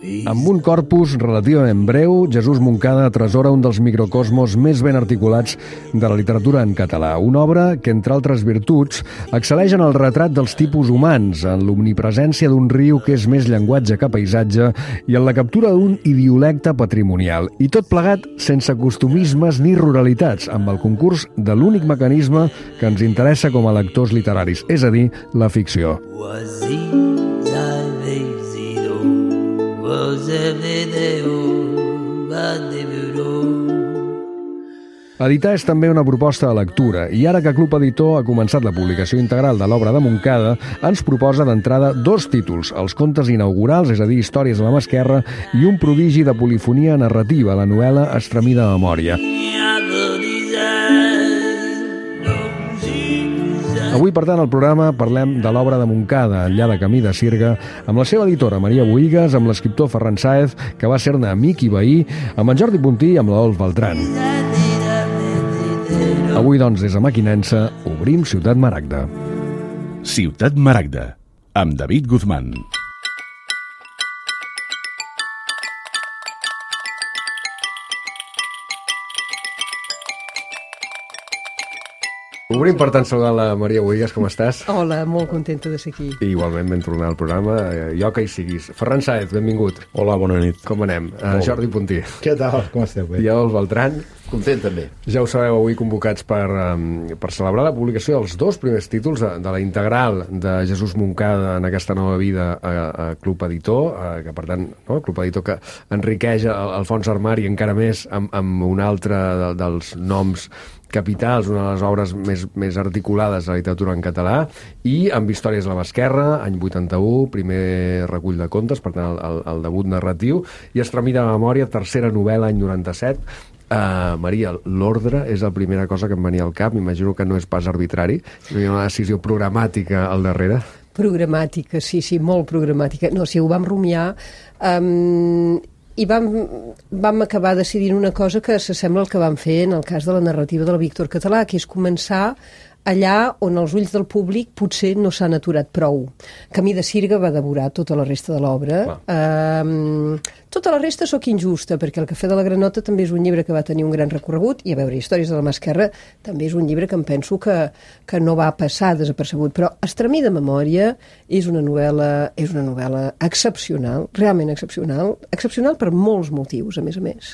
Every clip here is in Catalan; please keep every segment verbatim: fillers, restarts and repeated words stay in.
Amb un corpus relativament breu, Jesús Moncada atresora un dels microcosmos més ben articulats de la literatura en català. Una obra que, entre altres virtuts, excel·leix en el retrat dels tipus humans, en l'omnipresència d'un riu que és més llenguatge que paisatge i en la captura d'un idiolecte patrimonial. I tot plegat sense costumismes ni ruralitats, amb el concurs de l'únic mecanisme que ens interessa com a lectors literaris, és a dir, la ficció. Editar és també una proposta de lectura i ara que Club Editor ha començat la publicació integral de l'obra de Moncada, ens proposa d'entrada dos títols, els contes inaugurals, és a dir, històries de la mà esquerra, i un prodigi de polifonia narrativa, la novel·la Estremida memòria. Avui, per tant, al programa parlem de l'obra de Moncada, Enllà de camí de Sirga, amb la seva editora Maria Bohigas, amb l'escriptor Ferran Sáez, que va ser-ne amic i veí, amb en Jordi Puntí i amb la Dolf Beltran. Avui, doncs, des de Mequinensa, obrim Ciutat Maragda. Ciutat Maragda, amb David Guzmán. Obrim, per tant, saludant la Maria Bohigas, com estàs? Hola, molt contenta de ser aquí. I igualment ben tornar al programa, jo que hi siguis. Ferran Sáez, benvingut. Hola, bona nit. Com anem? Uh, Jordi Puntí. Què tal? Com esteu? Bé? I el Beltran. Content, també. Ja ho sabeu, avui convocats per, um, per celebrar la publicació dels dos primers títols de, de la integral de Jesús Moncada en aquesta nova vida a, a Club Editor, uh, que per tant, no? Club Editor que enriqueix el, el fons armari encara més amb, amb un altre de, dels noms capitals, una de les obres més, més articulades de la literatura en català, i amb Històries de la mà esquerra, any vuitanta-u, primer recull de contes, per tant, el, el debut narratiu, i Estremida memòria, tercera novel·la, any noranta-set. Uh, Maria, l'ordre és la primera cosa que em venia al cap, m'imagino que no és pas arbitrari, hi ha una decisió programàtica al darrere. Programàtica, sí, sí, molt programàtica. No, sí, ho vam rumiar... Um... I vam, vam acabar decidint una cosa que s'assembla al que vam fer en el cas de la narrativa de la Víctor Català, que és començar allà on els ulls del públic potser no s'han aturat prou. Camí de Sirga va devorar tota la resta de l'obra. Um, tota la resta sóc injusta, perquè El cafè de la Granota també és un llibre que va tenir un gran recorregut, i a veure, Històries de la mà esquerra també és un llibre que em penso que, que no va passar desapercebut, però Estremida memòria és una novel·la, és una novel·la excepcional, realment excepcional, excepcional per molts motius, a més a més,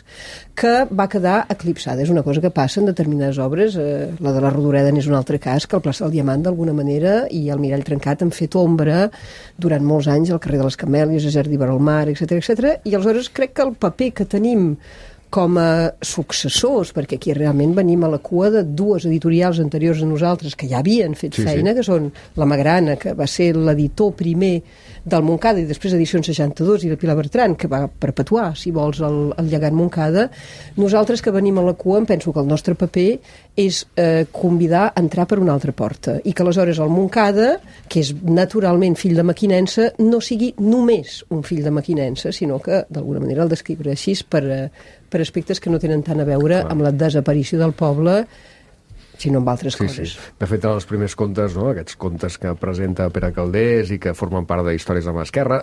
que va quedar eclipsada. És una cosa que passa en determinades obres, eh, la de la Rodoreda n'és un altre cas, que el Plaça del Diamant d'alguna manera i el Mirall trencat han fet ombra durant molts anys al carrer de les Camèlies, a Jardí vora el mar, etcètera, etcètera, i aleshores crec que el paper que tenim com a successors, perquè aquí realment venim a la cua de dues editorials anteriors a nosaltres que ja havien fet sí, feina, sí. que són la Magrana, que va ser l'editor primer del Moncada, i després Edicions seixanta-dos, i la Pilar Bertran, que va perpetuar, si vols, el, el llegat Moncada. Nosaltres que venim a la cua, em penso que el nostre paper és eh, convidar a entrar per una altra porta, i que aleshores el Moncada, que és naturalment fill de Mequinensa, no sigui només un fill de Mequinensa, sinó que d'alguna manera el descriure així per, per aspectes que no tenen tant a veure Clar. amb la desaparició del poble, sinó amb altres sí, coses. Sí. De fet, en els primers contes, no? Aquests contes que presenta Pere Calders i que formen part de Històries de la mà esquerra,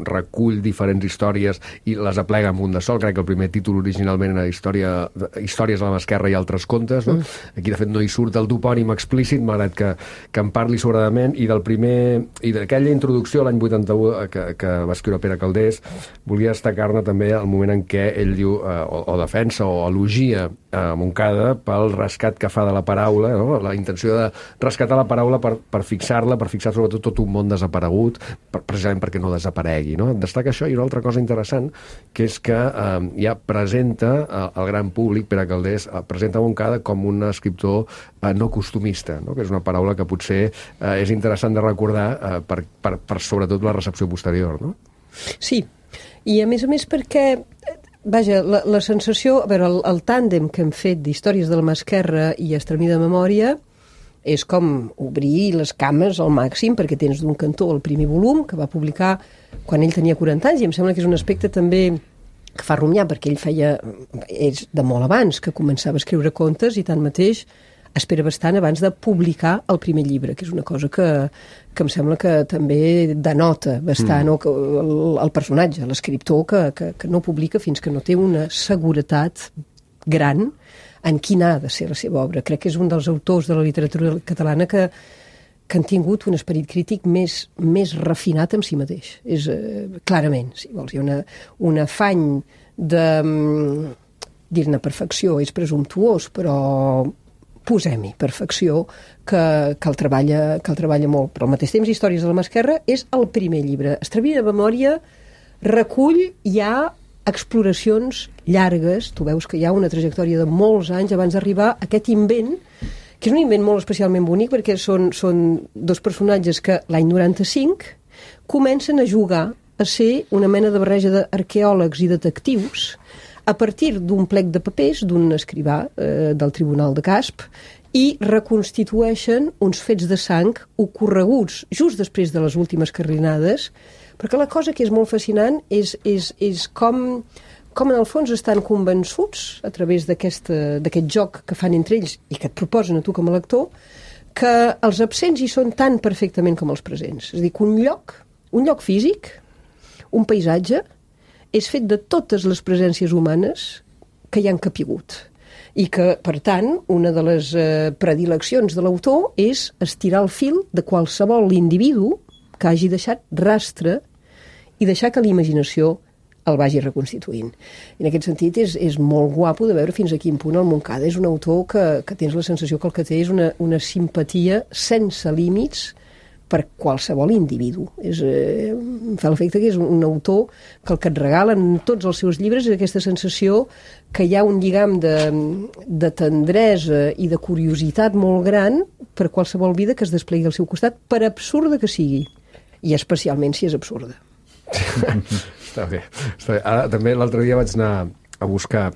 recull diferents històries i les aplega en un de sol. Crec que el primer títol originalment era història, Històries de la mà esquerra i altres contes. No? Mm. Aquí, de fet, no hi surt el topònim explícit, malgrat que, que en parli sobradament, i del primer i d'aquella introducció l'any vuitanta-u que, que va escriure Pere Calders, volia destacar-ne també el moment en què ell diu, eh, o, o defensa o elogia a Moncada pel rescat que fa de la paraula, no? La intenció de rescatar la paraula per, per fixar-la, per fixar sobretot tot un món desaparegut, per, precisament perquè no desaparegui. No? Destaca això, i una altra cosa interessant, que és que eh, ja presenta eh, el gran públic, Pere Calders, eh, presenta Moncada com un escriptor eh, no costumista, no? Que és una paraula que potser eh, és interessant de recordar eh, per, per, per sobretot la recepció posterior. No? Sí, i a més a més perquè... Vaja, la, la sensació... A veure, el, el tàndem que hem fet d'Històries de la mà esquerra i Estremida memòria és com obrir les cames al màxim, perquè tens d'un cantó el primer volum, que va publicar quan ell tenia quaranta anys, i em sembla que és un aspecte també que fa rumiar, perquè ell feia... és de molt abans que començava a escriure contes, i tanmateix espera bastant abans de publicar el primer llibre, que és una cosa que, que em sembla que també denota bastant mm. o que el, el personatge, l'escriptor, que, que, que no publica fins que no té una seguretat gran en quina ha de ser la seva obra. Crec que és un dels autors de la literatura catalana que que han tingut un esperit crític més, més refinat en si mateix. És, eh, clarament, si vols, hi ha una, un afany de dir-ne perfecció, és presumptuós, però posem-hi perfecció, que, que, el treballa, que el treballa molt. Però al mateix temps, Històries de la mà esquerra és el primer llibre. Extraví de memòria recull ja exploracions llargues, tu veus que hi ha una trajectòria de molts anys abans d'arribar a aquest invent, que és un invent molt especialment bonic perquè són, són dos personatges que l'any noranta-cinc comencen a jugar a ser una mena de barreja d'arqueòlegs i detectius a partir d'un plec de papers d'un escrivà eh, del Tribunal de Casp i reconstitueixen uns fets de sang ocorreguts just després de les últimes carlinades, perquè la cosa que és molt fascinant és, és, és com... com en el fons estan convençuts a través d'aquest joc que fan entre ells i que et proposen a tu com a lector, que els absents hi són tan perfectament com els presents. És a dir, que un lloc, un lloc físic, un paisatge, és fet de totes les presències humanes que hi han capigut. I que, per tant, una de les eh, predileccions de l'autor és estirar el fil de qualsevol individu que hagi deixat rastre i deixar que la imaginació el vagi reconstituint. I en aquest sentit és, és molt guapo de veure fins a quin punt el Montcada és un autor que, que tens la sensació que el que té és una, una simpatia sense límits per qualsevol individu. És, eh, em fa l'efecte que és un, un autor que el que et regalen tots els seus llibres és aquesta sensació que hi ha un lligam de, de tendresa i de curiositat molt gran per qualsevol vida que es desplegui al seu costat, per absurda que sigui. I especialment si és absurda. Està bé, està bé. Ara, també l'altre dia vaig anar a buscar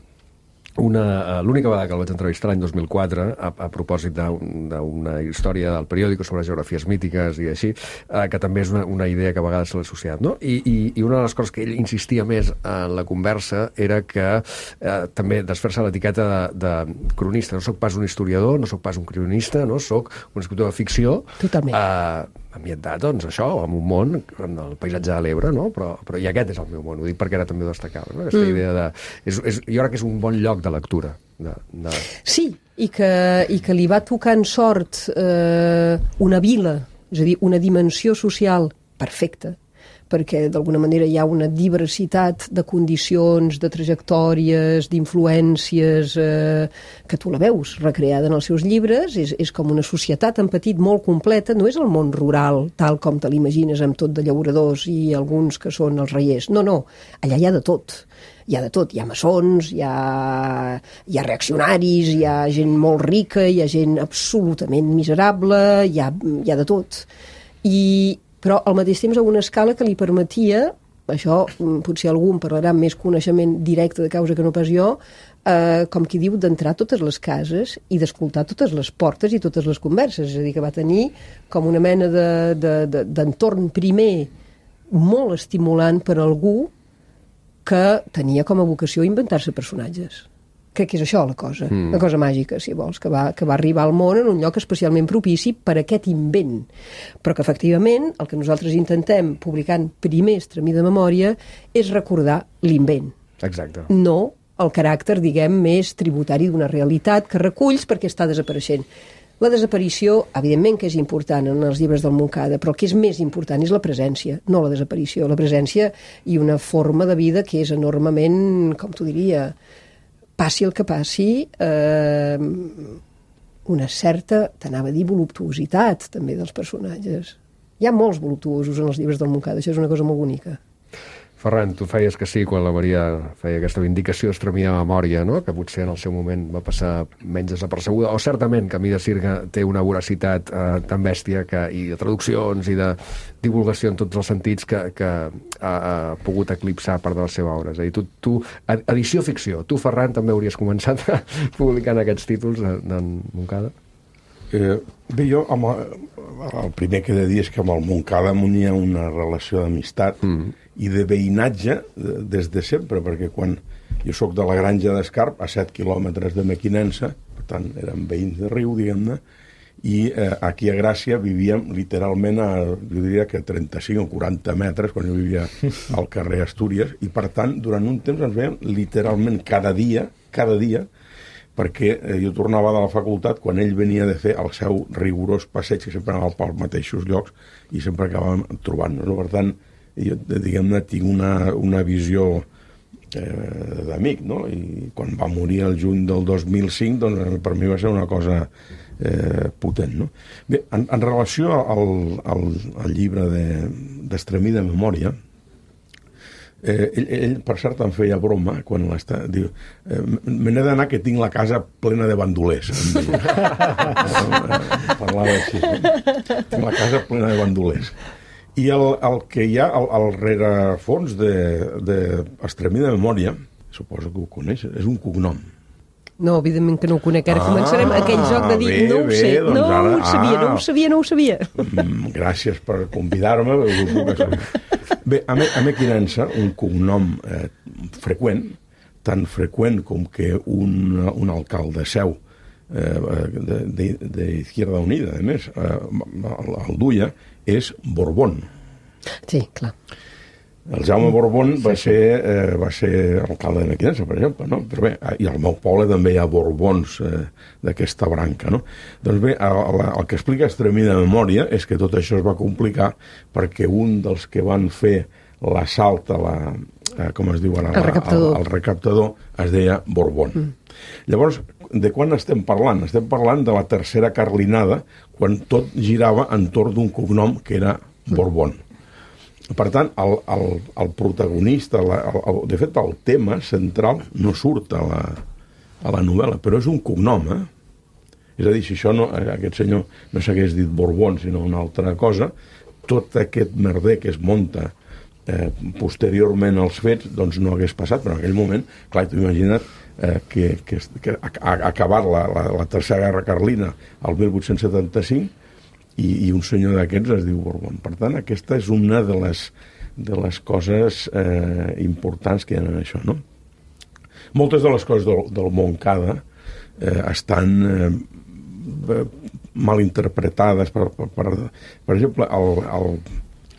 una, l'única vegada que el vaig entrevistar l'any dos mil quatre a, a propòsit d'una història del periòdico sobre geografies mítiques i així, eh, que també és una, una idea que a vegades se l'ha associat, no? I, i, I una de les coses que ell insistia més en la conversa era que eh, també desfer-se l'etiqueta de, de cronista. No sóc pas un historiador, no sóc pas un cronista, no? Sóc un escriptor de ficció. Totalment. Eh, ambientat, doncs, això, en un món, en el paisatge de l'Ebre, no? Però, però i aquest és el meu món, ho dic perquè ara també ho destacava, no? Aquesta mm. idea de... És, és, jo crec que és un bon lloc de lectura. De, de... Sí, i que, i que li va tocar en sort eh, una vila, és a dir, una dimensió social perfecta, perquè d'alguna manera hi ha una diversitat de condicions, de trajectòries, d'influències, eh, que tu la veus recreada en els seus llibres, és, és com una societat en petit molt completa, no és el món rural tal com te l'imagines amb tot de llauradors i alguns que són els reiers, no, no, allà hi ha de tot. Hi ha de tot, hi ha maçons, hi ha, hi ha reaccionaris, hi ha gent molt rica, hi ha gent absolutament miserable, hi ha, hi ha de tot. I però al mateix temps a una escala que li permetia, això potser algú en parlarà amb més coneixement directe de causa que no pas jo, eh, com qui diu, d'entrar a totes les cases i d'escoltar totes les portes i totes les converses. És a dir, que va tenir com una mena de, de, de, d'entorn primer molt estimulant per algú que tenia com a vocació inventar-se personatges. Crec que és això la cosa, mm. la cosa màgica, si vols, que va, que va arribar al món en un lloc especialment propici per aquest invent. Però que, efectivament, el que nosaltres intentem, publicant primer Extremí de memòria, és recordar l'invent. Exacte. No el caràcter, diguem, més tributari d'una realitat que reculls perquè està desapareixent. La desaparició, evidentment que és important en els llibres del Montcada, però el que és més important és la presència, no la desaparició. La presència i una forma de vida que és enormement, com t'ho diria, passi el que passi, eh, una certa, t'anava a dir, voluptuositat també dels personatges. Hi ha molts voluptuosos en els llibres del Montcada, això és una cosa molt bonica. Ferran, tu feies que sí quan la Maria feia aquesta vindicació d'Extremí de memòria, no? Que potser en el seu moment va passar menys desapercebuda, o certament que Mida Sirga té una voracitat eh, tan bèstia que, i de traduccions i de divulgació en tots els sentits que, que ha, ha pogut eclipsar part de la seva obra. És a dir, tu, tu edició-ficció, tu, Ferran, també hauries començat publicant aquests títols d'en Montcada? Eh, bé, jo amb el, el primer que he de dir és que amb el Montcada m'unia una relació d'amistat mm. i de veïnatge des de sempre, perquè quan jo sóc de la Granja d'Escarp, a set quilòmetres de Mequinensa, per tant, érem veïns de riu, diguem-ne, i eh, aquí a Gràcia vivíem literalment a, jo diria que trenta-cinc o quaranta metres, quan jo vivia al carrer Astúries, i per tant, durant un temps ens veiem literalment cada dia, cada dia, perquè eh, jo tornava de la facultat quan ell venia de fer el seu rigorós passeig, que sempre anava pels mateixos llocs, i sempre acabàvem trobant-nos. No? Per tant, jo, diguem-ne, tinc una, una visió eh, d'amic, no? I quan va morir el juny del dos mil cinc, doncs per mi va ser una cosa eh, potent, no? Bé, en, en relació al, al, al llibre d'Extremí de, de memòria, Eh, ell, ell, per cert, em feia broma quan l'està... Diu, eh, me n'he d'anar que tinc la casa plena de bandolers. Parlava així. No? Tinc la casa plena de bandolers. I el, el que hi ha al, al rerefons d'Extremí de, de memòria, suposo que ho coneix, és un cognom. No, evidentment que no ho conec. Ara ah, començarem aquell joc de dir bé, no ho sé, bé, doncs no ara, ho sabia, ah, no ho sabia, no ho sabia. Mm, gràcies per convidar-me. Bé, a, me, a Mequinensa, un cognom eh, freqüent, tan freqüent com que un, un alcalde seu eh, d'Izquierda Unida, a més, eh, el, el duia, és Borbón. Sí, clar. El Jaume Borbón va ser, eh, va ser alcalde de Mequinensa, per exemple, no? Però bé, i al meu poble també hi ha Borbons eh, d'aquesta branca, no? Doncs bé, el, el que explica Extremí de memòria és que tot això es va complicar perquè un dels que van fer l'assalt a la, eh, com es diu ara, el recaptador, el, el recaptador es deia Borbón. Mm. Llavors, de quan estem parlant? Estem parlant de la tercera carlinada, quan tot girava entorn d'un cognom que era Borbón. Mm. Per tant, el, el, el protagonista, la, el, el, de fet, el tema central no surt a la, a la novel·la, però és un cognom, eh? És a dir, si això no, aquest senyor no s'hagués dit Borbón, sinó una altra cosa, tot aquest merder que es munta eh, posteriorment als fets, doncs no hagués passat, però en aquell moment, clar, t'ho imagina't eh, que, que, que ha acabat la, la, la Tercera Guerra Carlina el mil vuit-cents setanta-cinc, I, i un senyor d'aquests es diu Borbón. Per tant, aquesta és una de les, de les coses eh, importants que hi ha en això, no? Moltes de les coses del, del Montcada eh, estan eh, mal interpretades. Per, per, per, per exemple, el, el,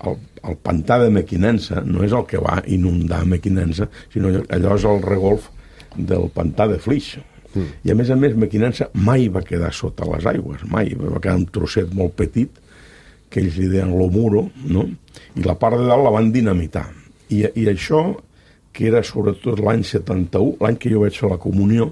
el, el pantà de Mequinensa no és el que va inundar Mequinensa, sinó allò és el regolf del pantà de Flix. Mm. I a més a més Mequinensa mai va quedar sota les aigües, mai, va quedar un trosset molt petit que ells li deien lo muro, no? I la part de dalt la van dinamitar i, i això, que era sobretot l'any setanta-u, l'any que jo vaig fer la comunió,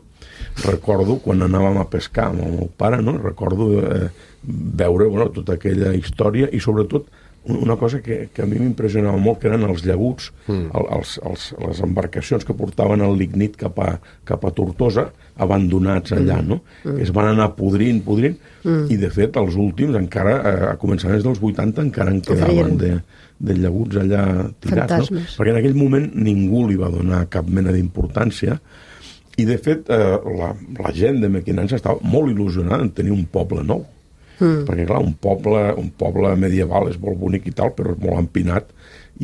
recordo quan anàvem a pescar amb el meu pare, no? Recordo eh, veure, bueno, tota aquella història i sobretot una cosa que, que a mi m'impressionava molt, que eren els llaguts, mm. els, els, les embarcacions que portaven el lignit cap a, cap a Tortosa, abandonats allà, no? Mm. Que es van anar podrint, podrint, mm. i de fet els últims encara, a començaments dels vuitanta, encara en quedaven de, de llaguts allà tirats, fantasmes, no? Perquè en aquell moment ningú li va donar cap mena d'importància i de fet eh, la, la gent de Mequinensa estava molt il·lusionada en tenir un poble nou. Mm. Perquè clar, un poble, un poble medieval és molt bonic i tal, però és molt empinat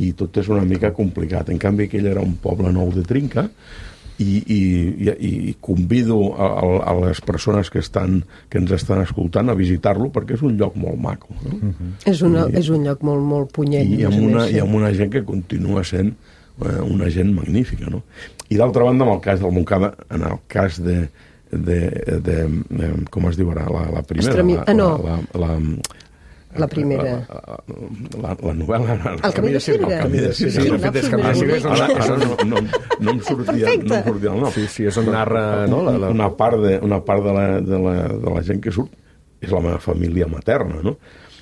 i tot és una mica complicat. En canvi, aquell era un poble nou de trinca i, i, i, i convido a, a les persones que, estan, que ens estan escoltant a visitar-lo perquè és un lloc molt maco, no? Mm-hmm. És, una, I, és un lloc molt, molt punyent. I amb, una, i amb una gent que continua sent eh, una gent magnífica, no? I d'altra banda, en el cas del Montcada, en el cas de De, de, de, com es diu ara, la, la primera, Estremi... la, ah, no. la, la, la, la primera. La, la, la novel·la... El camí de Sirga. El camí de Sirga. Sí, de fet, és camí de Sirga. Ara, ara no, no, no, em sortia, no em sortia el nom. Sí, sí, és on narra... No, la, la... Una part, de, una part de, la, de, la, de la gent que surt és la meva família materna, no?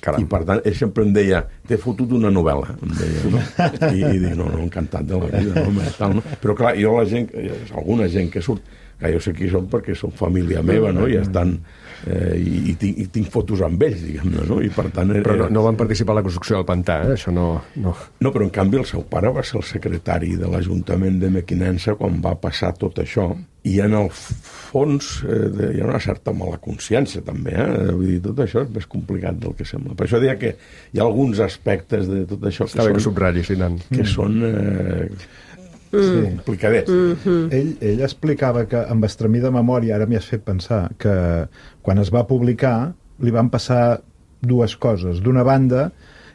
Caram. I per tant, ell sempre em deia, t'he fotut una novel·la, em deia, no? I, i dic, no, no, encantat de la vida, no? Tal, no? Però clar, jo la gent, alguna gent que surt, que jo sé qui són perquè són família meva, no? I estan... Eh, i, i, tinc, i tinc fotos amb ells, diguem-ne, no? I per tant... Era, però no, no van participar a la construcció del pantà, eh? Això no, no... No, però en canvi el seu pare va ser el secretari de l'Ajuntament de Mequinensa quan va passar tot això, i en el fons eh, de, hi ha una certa mala consciència també, eh? Vull dir, tot això és més complicat del que sembla. Per això deia que hi ha alguns aspectes de tot això que Està bé són... que subratllis, sí, Nan. Que són... Eh, Sí. complicadets. Mm-hmm. Ell, ell explicava que, amb estremida memòria, ara m'hi has fet pensar, que quan es va publicar li van passar dues coses. D'una banda,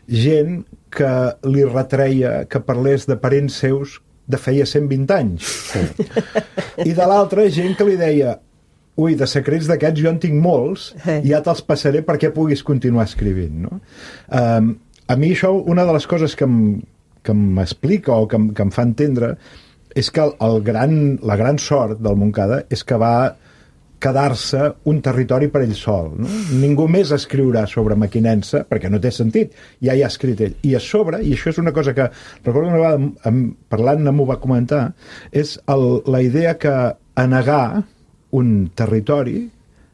gent que li retreia que parlés de parents seus de feia cent vint anys. Sí. I de l'altra, gent que li deia ui, de secrets d'aquests jo en tinc molts i ja te'ls passaré perquè puguis continuar escrivint, no? Um, a mi això, una de les coses que em que m'explica o que, que em fa entendre és que el, el gran, la gran sort del Montcada és que va quedar-se un territori per ell sol, no? Ningú més escriurà sobre Mequinensa perquè no té sentit, ja hi ha escrit ell, i a sobre, i això és una cosa que recordo una vegada amb, parlant m'ho va comentar, és el, la idea que anegar un territori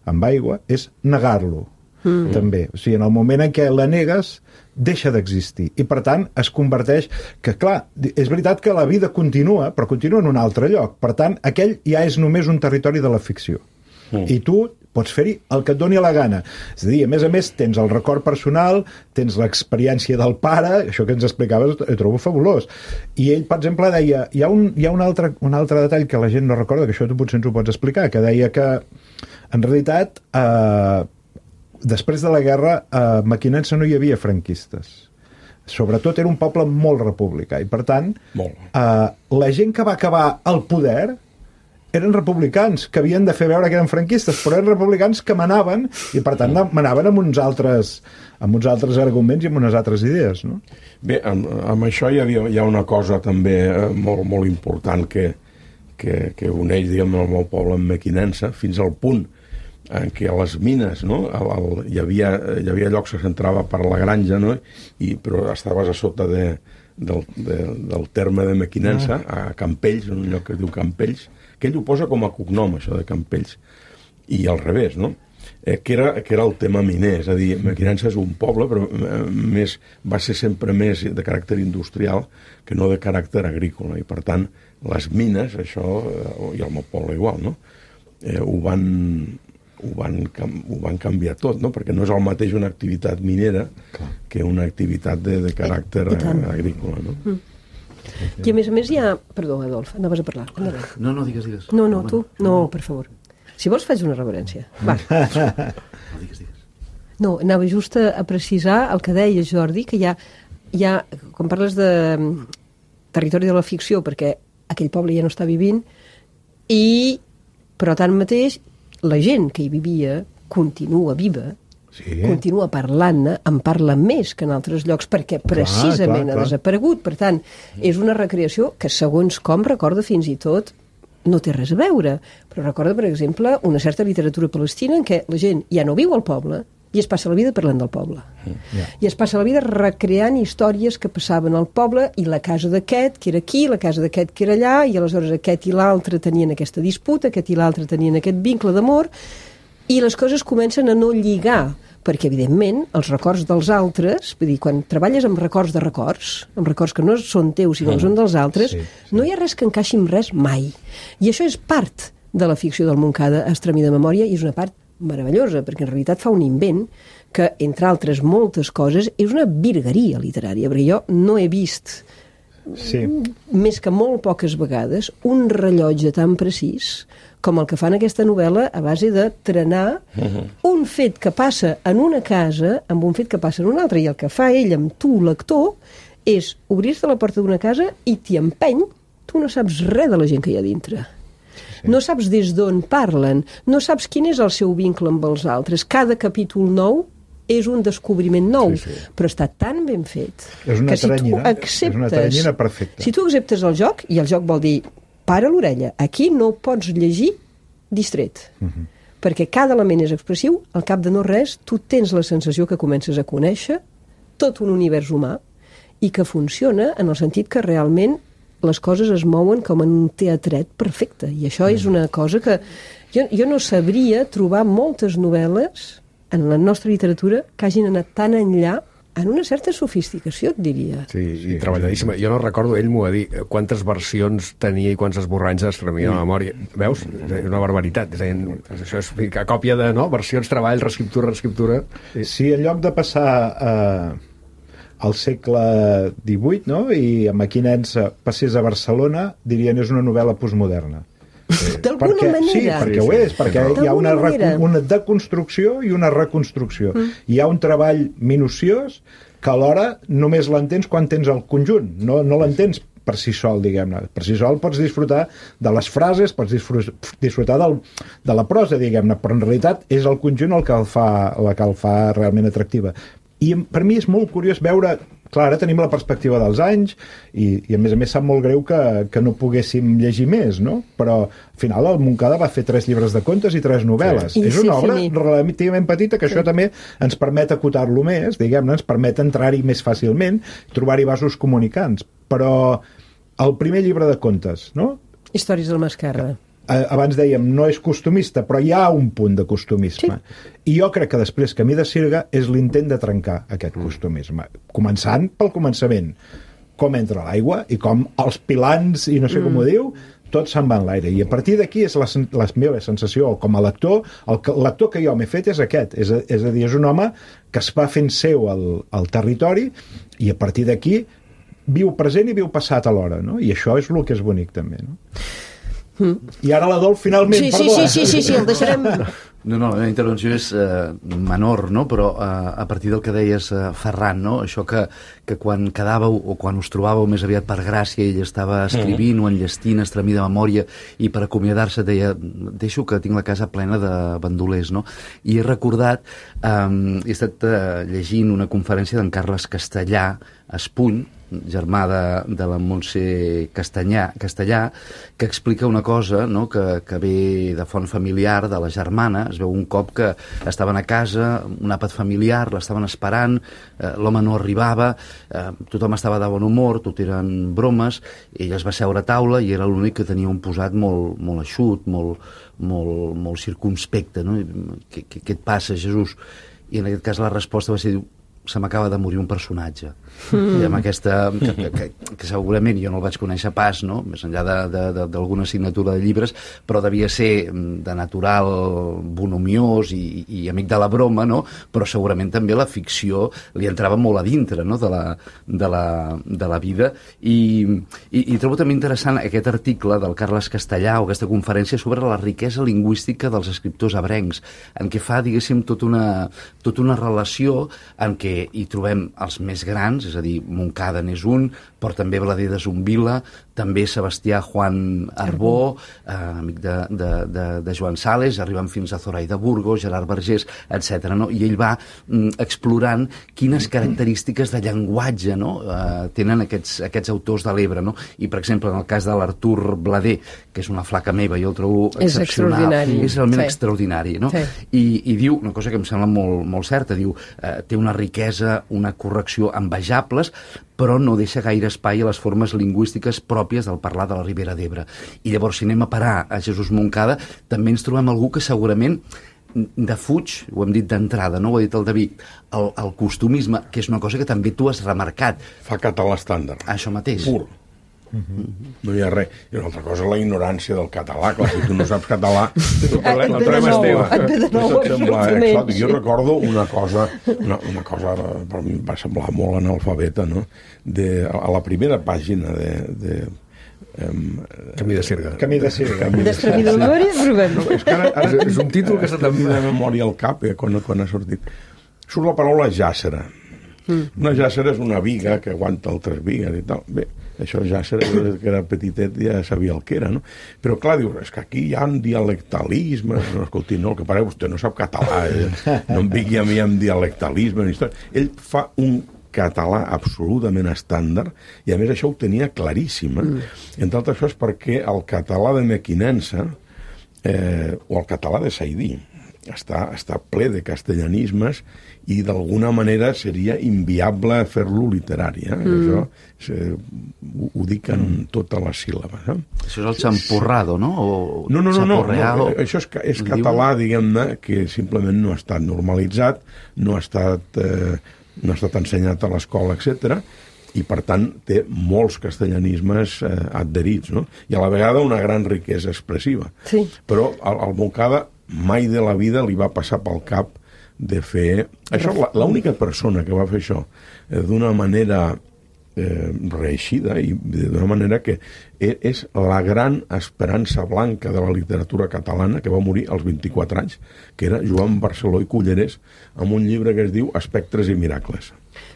amb aigua és negar-lo. Mm. També, o sigui, en el moment en què la negues deixa d'existir i per tant es converteix que clar, és veritat que la vida continua però continua en un altre lloc, per tant aquell ja és només un territori de la ficció mm. i tu pots fer-hi el que et doni la gana, és a dir, a més a més tens el record personal, tens l'experiència del pare, això que ens explicaves ho trobo fabulós, i ell per exemple deia, hi ha un, hi ha un, altre, un altre detall que la gent no recorda, que això tu potser ens ho pots explicar, que deia que en realitat eh, després de la guerra, a Mequinensa no hi havia franquistes. Sobretot era un poble molt republicà i, per tant, eh, la gent que va acabar al poder eren republicans, que havien de fer veure que eren franquistes, però eren republicans que manaven i, per tant, manaven amb uns altres, amb uns altres arguments i amb unes altres idees, no? Bé, amb, amb això hi, havia, hi ha una cosa també eh, molt, molt important que, que, que uneix, diguem, el meu poble amb Mequinensa, fins al punt en què a les mines, no? El, el, hi, havia, hi havia llocs que s'entrava per la granja, no? I, però estaves a sota de, del, de, del terme de Mequinensa, a Campells, en un lloc que es diu Campells, que ell ho posa com a cognom, això de Campells, i al revés, no? Eh, que, era, que era el tema miner, és a dir, Mequinensa és un poble, però eh, més, va ser sempre més de caràcter industrial que no de caràcter agrícola, i per tant, les mines, això, eh, i el meu poble igual, no? Eh, ho van... Ho van, ho van canviar tot, no? Perquè no és el mateix una activitat minera Clar. que una activitat de, de caràcter agrícola, no? Mm. I a més a més hi ha... Perdó, Adolf, anaves a parlar. Anaves. No, no, digues, digues. No, no, tu. No, per favor. Si vols faig una reverència. Va. No, digues, digues. No, anava just a precisar el que deia Jordi, que hi ha, hi ha quan parles de territori de la ficció, perquè aquell poble ja no està vivint, i, però tanmateix, la gent que hi vivia continua viva, sí. continua parlant-ne, en parla més que en altres llocs, perquè precisament clar, clar, clar. ha desaparegut. Per tant, és una recreació que, segons com, recorda fins i tot, no té res a veure, però recorda, per exemple, una certa literatura palestina en què la gent ja no viu al poble i es passa la vida parlant del poble. Yeah. I es passa la vida recreant històries que passaven al poble i la casa d'aquest, que era aquí, la casa d'aquest, que era allà, i aleshores aquest i l'altre tenien aquesta disputa, aquest i l'altre tenien aquest vincle d'amor, i les coses comencen a no lligar, perquè, evidentment, els records dels altres, vull dir, quan treballes amb records de records, amb records que no són teus, sinó que són dels altres, sí, sí. no hi ha res que encaixi amb res mai. I això és part de la ficció del Montcada, Estremida memòria, i és una part meravellosa, perquè en realitat fa un invent que, entre altres moltes coses, és una virgueria literària, perquè jo no he vist, sí. més que molt poques vegades, un rellotge tan precís com el que fa en aquesta novel·la a base de trenar uh-huh. un fet que passa en una casa amb un fet que passa en una altra, i el que fa ell amb tu, lector, és obrir-te la porta d'una casa i t'hi empeny, tu no saps res de la gent que hi ha dintre. Sí. No saps des d'on parlen, no saps quin és el seu vincle amb els altres. Cada capítol nou és un descobriment nou, sí, sí. però està tan ben fet és una que si teranyina, tu acceptes... És una teranyina perfecta. Si tu acceptes el joc, i el joc vol dir para l'orella, aquí no pots llegir distret, uh-huh. perquè cada element és expressiu, al cap de no res, tu tens la sensació que comences a conèixer tot un univers humà i que funciona en el sentit que realment les coses es mouen com en un teatret perfecte, i això és una cosa que jo, jo no sabria trobar moltes novel·les en la nostra literatura que hagin anat tan enllà en una certa sofisticació, et diria. Sí, i treballadíssima. Jo no recordo, ell m'ho va dir, quantes versions tenia i quants esborranys es tremia de memòria. Veus? És una barbaritat. És a dir, això és a còpia de no? versions, treball, reescriptura, reescriptura. Sí. Si en lloc de passar eh, al segle divuit, no?, i amb Mequinensa passés a Barcelona, dirien és una novel·la postmoderna. D'alguna perquè, manera. Sí, perquè sí, ho és, perquè hi ha una, una deconstrucció i una reconstrucció. Mm. Hi ha un treball minuciós que alhora només l'entens quan tens el conjunt, no, no l'entens per si sol, diguem-ne. Per si sol pots disfrutar de les frases, pots disfrutar del, de la prosa, diguem-ne, però en realitat és el conjunt el que el fa, el que el fa realment atractiva. I per mi és molt curiós veure... Clar, ara tenim la perspectiva dels anys i, i a més a més sap molt greu que, que no poguéssim llegir més, no? Però al final el Montcada va fer tres llibres de contes i tres novel·les. Sí. És una obra relativament petita que sí. Això també ens permet acotar-lo més, diguem-ne, ens permet entrar-hi més fàcilment, trobar-hi vasos comunicants. Però el primer llibre de contes, no? Històries del Mascarra. Abans dèiem, no és costumista, però hi ha un punt de costumisme. Sí. I jo crec que després Camí de Sirga és l'intent de trencar aquest costumisme. Començant pel començament. Com entra l'aigua i com els pilans, i no sé com mm. ho diu, tot se'n va en l'aire. I a partir d'aquí és la, la meva sensació com a lector, el lector que jo m'he fet és aquest. És a, és a dir, és un home que es va fent seu el, el territori i a partir d'aquí viu present i viu passat alhora, no? I això és el que és bonic també, no? Mm. I ara l'Adolf finalment, sí, perdó. Sí, sí, sí, sí, el deixarem... No, no, la meva intervenció és eh, menor, no? Però eh, a partir del que deies, eh, Ferran, no? Això que, que quan quedàveu o quan us trobàveu més aviat per gràcia ell estava escrivint mm. o enllestint, estremir de memòria, i per acomiadar-se deia, deixo que tinc la casa plena de bandolers, no? I he recordat, eh, he estat eh, llegint una conferència d'en Carles Castellà Espuny, germà de, de la Montse Castanyà, Castellà, que explica una cosa, no?, que, que ve de font familiar, de la germana. Es veu un cop que estaven a casa, un àpat familiar, l'estaven esperant, eh, l'home no arribava, eh, tothom estava de bon humor, tot eren bromes, ell es va seure a taula i era l'únic que tenia un posat molt, molt eixut, molt, molt, molt circunspecte, no? Què, què, què et passa, Jesús? I en aquest cas la resposta va ser, se m'acaba de morir un personatge. Mm. I amb aquesta... Que, que, que segurament jo no el vaig conèixer pas, no?, més enllà d'alguna assignatura de llibres, però devia ser de natural bonomiós i, i amic de la broma, no?, però segurament també la ficció li entrava molt a dintre, no?, de la, de la, de la vida. I, i, i trobo també interessant aquest article del Carles Castellà o aquesta conferència sobre la riquesa lingüística dels escriptors ebrencs, en què fa, diguéssim, tota una, tota una relació en què hi trobem els més grans, és a dir, Montcada n'és un, però també Blader de Zumbila, també Sebastià Juan Arbó, eh, amic de, de, de, de Joan Sales, arribant fins a Zoraida Burgos, Gerard Vergés, etcètera. No? I ell va mm, explorant quines característiques de llenguatge, no?, eh, tenen aquests, aquests autors de l'Ebre. No? I, per exemple, en el cas de l'Artur Blader, que és una flaca meva, jo el trobo és excepcional. Extraordinari. És realment sí. extraordinari. No? Sí. I, I diu, una cosa que em sembla molt, molt certa, diu, eh, té una riquesa, una correcció envejables, però no deixa gaire espai a les formes lingüístiques pròpies del parlar de la Ribera d'Ebre. I llavors, si anem a parar a Jesús Montcada, també ens trobem algú que segurament defuig, ho hem dit d'entrada, no ho ha dit el David, el, el costumisme, que és una cosa que també tu has remarcat. Fa català estàndard. Això mateix. Pur. Mm-hmm. No hi ha res. I una altra cosa, la ignorància del català. Clar, si tu no saps català, el problema, el problema és teva. Et ve de nou, exòtic. Jo recordo una cosa, una, una cosa, per mi va semblar molt analfabeta, no? De, a la primera pàgina de... de Um, Camí de Sirga. Camí de Sirga. D'Estremir de memòria, Rubén. No, és que ara, ara és un títol que se t'ha de memòria al cap, eh, quan, quan ha sortit. Surt la paraula jàssera. Mm. Una jàssera és una viga que aguanta altres vigues i tal. Bé, això jàssera, que era petitet, ja sabia el que era, no? Però clar, dius, és que aquí hi ha dialectalisme. No, escolti, no, el que pare, vostè no sap català, eh? No em digui a mi amb dialectalisme. Ell fa un català absolutament estàndard i a més això ho tenia claríssim, eh? Mm. Entre altres coses perquè el català de Mequinensa eh, o el català de Saidí està, està ple de castellanismes i d'alguna manera seria inviable fer-lo literari. Eh? Mm. Això eh, ho, ho dic en mm. totes les síl·labes. Eh? Això és el champurrado, no? O no, no, no, no, no, això és, és català, diguem-ne, que simplement no ha estat normalitzat, no ha estat, eh, no ha estat ensenyat a l'escola, etcètera, i per tant té molts castellanismes eh, adherits, no? I a la vegada una gran riquesa expressiva. Sí. Però al, al Montcada mai de la vida li va passar pel cap de fer... Això, l'única persona que va fer això eh, d'una manera eh, reeixida i d'una manera que és la gran esperança blanca de la literatura catalana, que va morir als vint-i-quatre anys, que era Joan Barceló i Cullerés, amb un llibre que es diu Espectres i miracles.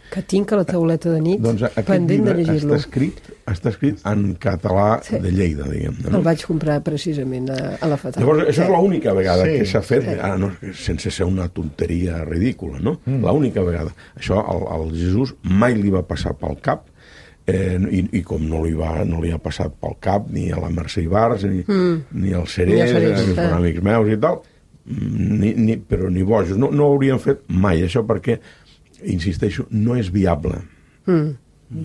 Que tinc a la tauleta de nit, doncs pendent de llegir-lo. Està escrit, està escrit en català sí. de Lleida, diguem-ne. No? El vaig comprar precisament a, a la Fatal. Llavors, això sí. és l'única vegada sí. que s'ha fet, sí. ah, no, sense ser una tonteria ridícula, no? Mm. L'única vegada. Això al, al Jesús mai li va passar pel cap, eh, i, i com no li, va, no li ha passat pel cap ni a la Mercè Ibars, ni, mm. ni al Cerés, ni que són amics meus i tal, ni, ni, però ni bojos. No, no ho haurien fet mai, això, perquè insisteixo, no és viable. Mm. I,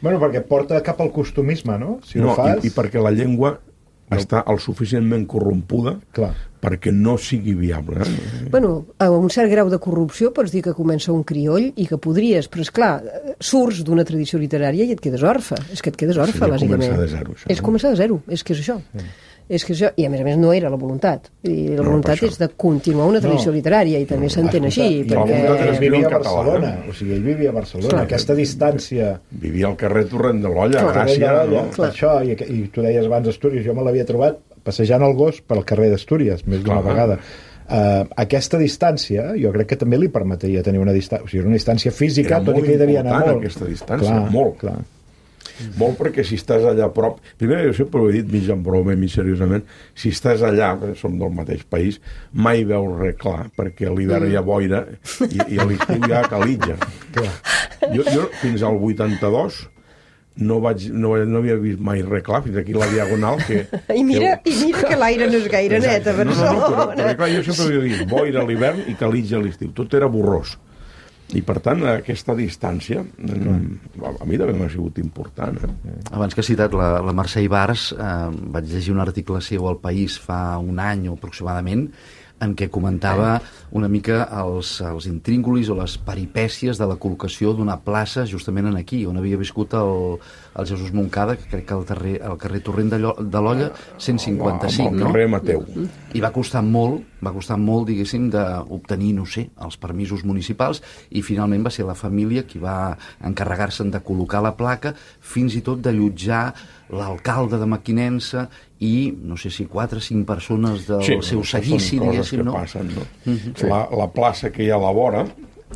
bueno, perquè porta cap al costumisme, no? Si no, ho fas... i, i perquè la llengua no. està el suficientment corrompuda Clar. perquè no sigui viable. Eh? Bueno, a un cert grau de corrupció pots dir que comença un crioll i que podries, però és clar, surts d'una tradició literària i et quedes orfe. És que et quedes orfe, Seria bàsicament. Començar de zero, això, és no? començar de zero, és que és això. Mm. És que això, i a més a més no era la voluntat, i la no, voluntat és de continuar una tradició no. literària i també no, s'entén així, i perquè... ell vivia a Barcelona, o sigui, ell vivia a Barcelona, clar. Aquesta distància... Vivia al carrer Torrent de l'Olla, a Gràcia, no? Això, i, i tu deies abans Astúries, jo me l'havia trobat passejant el gos pel carrer d'Astúries, més d'una vegada. Uh, aquesta distància, jo crec que també li permetria tenir una distància, o sigui, una distància física, tot i que hi devia anar molt. Aquesta distància, clar, molt. Clar. Molt perquè si estàs allà a prop... Primer, jo sempre ho he dit mig en broma i mig seriosament, si estàs allà, som del mateix país, mai veus res clar, perquè a l'hivern hi ha boira i, i a l'estiu hi ha calitja. Jo, jo fins al vuitanta-dos no, vaig, no, no havia vist mai res clar, fins aquí la Diagonal que... I mira que, i mira que l'aire no és gaire net a Barcelona. No, no, no, però, però clar, jo sempre havia vist boira a l'hivern i calitja a l'estiu. Tot era borrós. I, per tant, aquesta distància mm. a mi també m'ha sigut important. Eh? Abans que has citat la, la Mercè Ibars, eh, vaig llegir un article seu al País fa un any aproximadament, en què comentava una mica els, els intríngulis o les peripècies de la col·locació d'una plaça justament en aquí, on havia viscut el, el Jesús Moncada, que crec que al carrer, al carrer Torrent de, de l'Olla, cent cinquanta-cinc, no? no? Al carrer Mateu. I va costar molt, va costar molt, diguéssim, d'obtenir, no sé, els permisos municipals, i finalment va ser la família qui va encarregar-se'n de col·locar la placa, fins i tot d'allotjar l'alcalde de Mequinensa i, no sé si quatre o cinc persones del sí, seu seguici, diguéssim, no? Passen, no? Mm-hmm. Sí. La, la plaça que hi ha a la vora,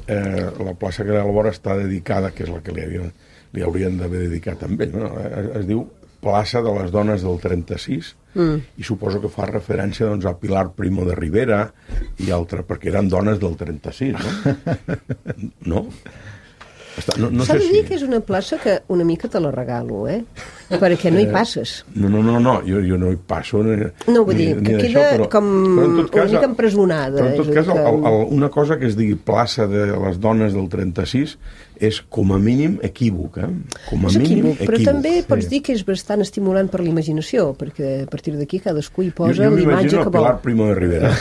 eh, la plaça que hi ha a la vora està dedicada, que és la que li, havien, li haurien d'haver dedicat amb ell, no? Es, es diu Plaça de les Dones del trenta-sis, mm. i suposo que fa referència doncs, a Pilar Primo de Rivera i altre, perquè eren dones del trenta-sis, no? No? No, no S'ha de sé dir si... que és una plaça que una mica te la regalo, eh? Perquè no hi passes. No, no, no, no. Jo, jo no hi passo. Ni, no, vull dir, ni, que ni queda això, però, com però en cas, una mica empresonada. Però en tot cas, que... el, el, una cosa que es digui plaça de les dones del trenta-sis és com a mínim equívoc, eh? Com a és mínim equívoc, però equívoc, també sí. Pots dir que és bastant estimulant per la imaginació, perquè a partir d'aquí cadascú hi posa jo, jo l'imatge que vol. Pilar Primo de Rivera.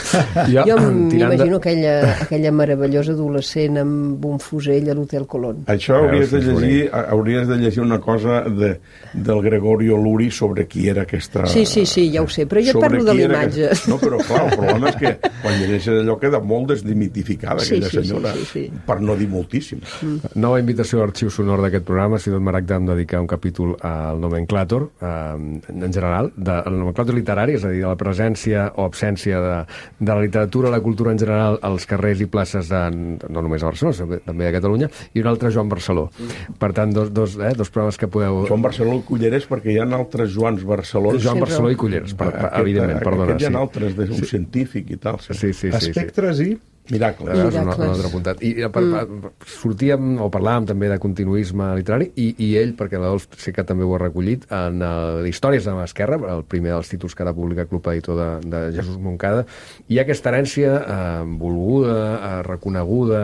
jo jo m'imagino de... aquella, aquella meravellosa adolescent amb un fusell a l'Hotel Colón. Això hauries de llegir, hauries de llegir una cosa de, del Gregorio Luri sobre qui era aquesta... Sí, sí, sí, ja ho sé, però jo et parlo de l'imatge. Aquesta... No, però clar, el problema és que quan llegeixes allò queda molt desdimitificada, sí, aquella sí, senyora, sí, sí, sí. per no dir moltíssim. Mm. Nova invitació a l'arxiu sonor d'aquest programa. Ha sigut Maragda em dedicar un capítol al nomenclàtor, eh, en general, del nomenclàtor literari, és a dir, de la presència o absència de, de la literatura, la cultura en general als carrers i places, de, no només a Barcelona, també a Catalunya, i un altre Joan Barceló. Mm. Per tant, dos, dos, eh, dos programes que podeu... Joan Barceló i Cullerés, perquè hi ha altres Joans Barcelons. Joan Barceló i Cullerés, per, per, aquest, evidentment, perdona. Aquest hi ha sí. altres d'un sí. científic i tal. Sí, sí, sí, sí, Espectres sí. i... Miracle. És un, un altre apuntat. I per, mm. sortíem, o parlàvem també de continuisme literari, i, i ell, perquè l'Adolf sé que també ho ha recollit, en el, Històries de l'Esquerra, el primer dels títols que ara publica Club Editor de, de Jesús Moncada, hi ha aquesta herència eh, volguda, eh, reconeguda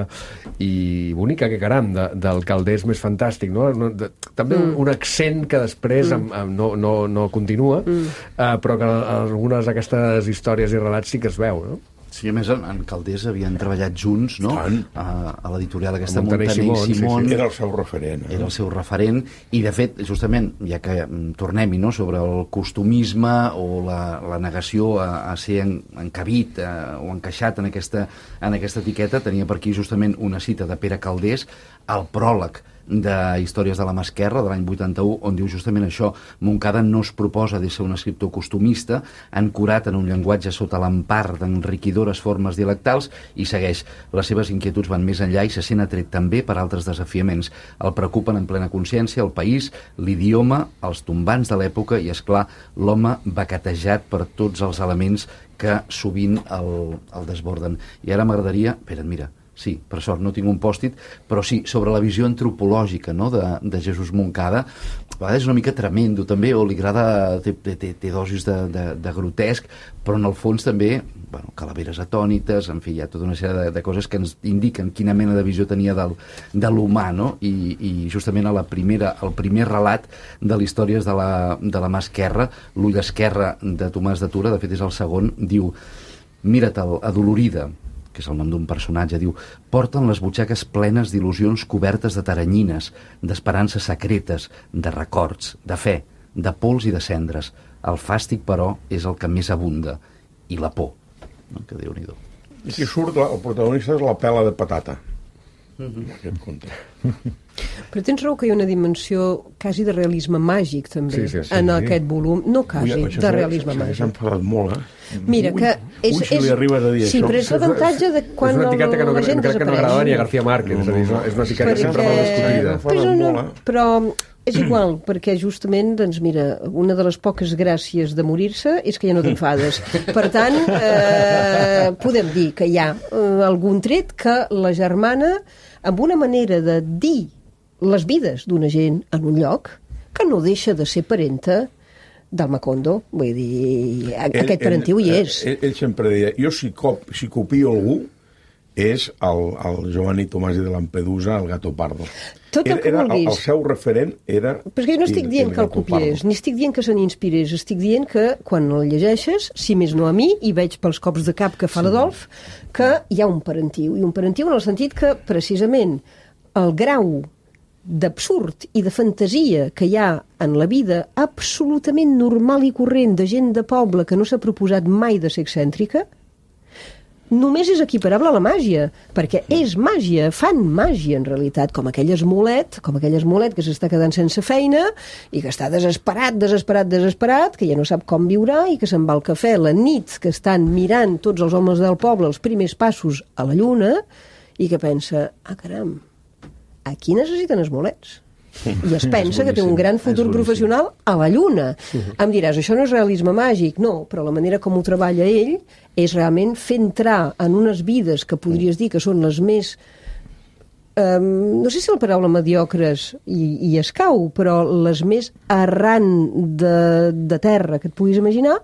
i bonica, que caram, de, del Calders més fantàstic, no? no de, també mm. un, un accent que després mm. amb, amb, no, no, no continua, mm. eh, però que algunes d'aquestes històries i relats sí que es veu, no? Sí, a més, en, en Calders havien treballat junts, no? A, a l'editorial aquesta Montaner i Simón. Simón. Sí, sí. Era el seu referent. Eh? Era el seu referent, i de fet, justament, ja que tornem-hi, no?, sobre el costumisme o la, la negació a, a ser en, encabit a, o encaixat en aquesta, en aquesta etiqueta, tenia per aquí justament una cita de Pere Calders, al pròleg de Històries de la mà esquerra, de l'any vuitanta-u, on diu justament això: Moncada no es proposa de ser un escriptor costumista, ancorat en un llenguatge sota l'empar d'enriquidores formes dialectals, i segueix: les seves inquietuds van més enllà i se sent atret també per altres desafiaments. El preocupen en plena consciència el país, l'idioma, els tombants de l'època i, és clar, l'home baquetejat per tots els elements que sovint el, el desborden. I ara m'agradaria... Espera't, mira, sí, per sort no tinc un pòstit, però sí, sobre la visió antropològica, no?, de, de Jesús Moncada. A vegades és una mica tremendo també, o li agrada, té, té, té dosis de, de, de grotesc, però en el fons també, bueno, calaveres atònites, en fi, hi ha tota una sèrie de, de coses que ens indiquen quina mena de visió tenia del, de l'humà, no? I, i justament a la primera, el primer relat de les històries de la, de la mà esquerra, l'ull esquerre de Tomàs de Tura, de fet és el segon, diu: mira-te'l, adolorida, que és el nom d'un personatge, diu: porten les butxaques plenes d'il·lusions cobertes de taranyines, d'esperances secretes, de records, de fe, de pols i de cendres. El fàstic, però, és el que més abunda, i la por. No? Que Déu-n'hi-do. I aquí surt, la, el protagonista és la pela de patata. Mm-hmm. Aquest conte. Però tens raó que hi ha una dimensió quasi de realisme màgic, també, sí, sí, sí, en sí. aquest volum. No quasi, Ui, de realisme màgic. S'ha enfadat molt, eh? Mira, que és... Ui, si li arribes a dir sí, això. però és l'avantatge de quan és una etiqueta que no, la gent crec que no agrada ni a García Márquez. No, no. És, una, és una etiqueta perquè... sempre molt discutida. Però, no, però és igual, perquè justament, doncs mira, una de les poques gràcies de morir-se és que ja no t'enfades. Per tant, eh, podem dir que hi ha eh, algun tret que la germana, amb una manera de dir les vides d'una gent en un lloc, que no deixa de ser parenta del Macondo. Vull dir, ell, aquest parentiu hi és. Ell, ell sempre deia, jo si, cop, si copio algú és el, el Giovanni Tomasi de Lampedusa, el Gato Pardo. Tot el que era, vulguis. El, el seu referent era... Però jo no estic dient que el copiés, ni estic dient que se n'inspirés, estic dient que quan el llegeixes, si més no a mi, i veig pels cops de cap que fa sí. l'Adolf, que hi ha un parentiu, i un parentiu en el sentit que, precisament, el grau d'absurd i de fantasia que hi ha en la vida absolutament normal i corrent de gent de poble que no s'ha proposat mai de ser excèntrica, només és equiparable a la màgia, perquè és màgia, fan màgia en realitat, com aquell esmolet, com aquell esmolet que s'està quedant sense feina i que està desesperat, desesperat, desesperat, que ja no sap com viurà i que se'n va al cafè la nit que estan mirant tots els homes del poble els primers passos a la lluna i que pensa, ah caram, aquí necessiten esmolets. I es pensa que té un gran futur professional a la Lluna. Em diràs, això no és realisme màgic. No, però la manera com ho treballa ell és realment fer entrar en unes vides que podries dir que són les més... Um, no sé si la paraula mediocres i, i escau, però les més arran de, de terra que et puguis imaginar,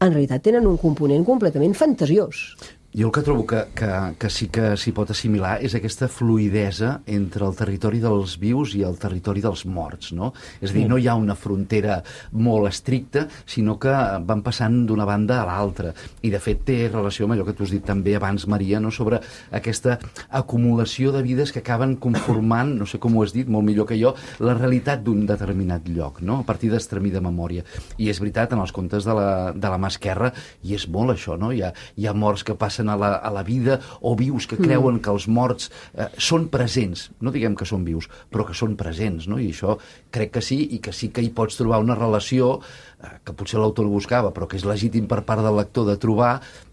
en realitat tenen un component completament fantasiós. Jo el que trobo que, que, que sí que s'hi pot assimilar és aquesta fluidesa entre el territori dels vius i el territori dels morts, no? És a dir, no hi ha una frontera molt estricta, sinó que van passant d'una banda a l'altra. I, de fet, té relació amb allò que tu has dit també abans, Maria, no? Sobre aquesta acumulació de vides que acaben conformant, no sé com ho has dit, molt millor que jo, la realitat d'un determinat lloc, no? A partir d'extremida memòria. I és veritat, en els contes de la, de la mà esquerra, i és molt això, no? Hi ha, hi ha morts que passen a la, a la vida, o vius que creuen mm. que els morts eh, són presents, no diguem que són vius, però que són presents, no? I això crec que sí, i que sí que hi pots trobar una relació eh, que potser l'autor el buscava, però que és legítim per part del lector de trobar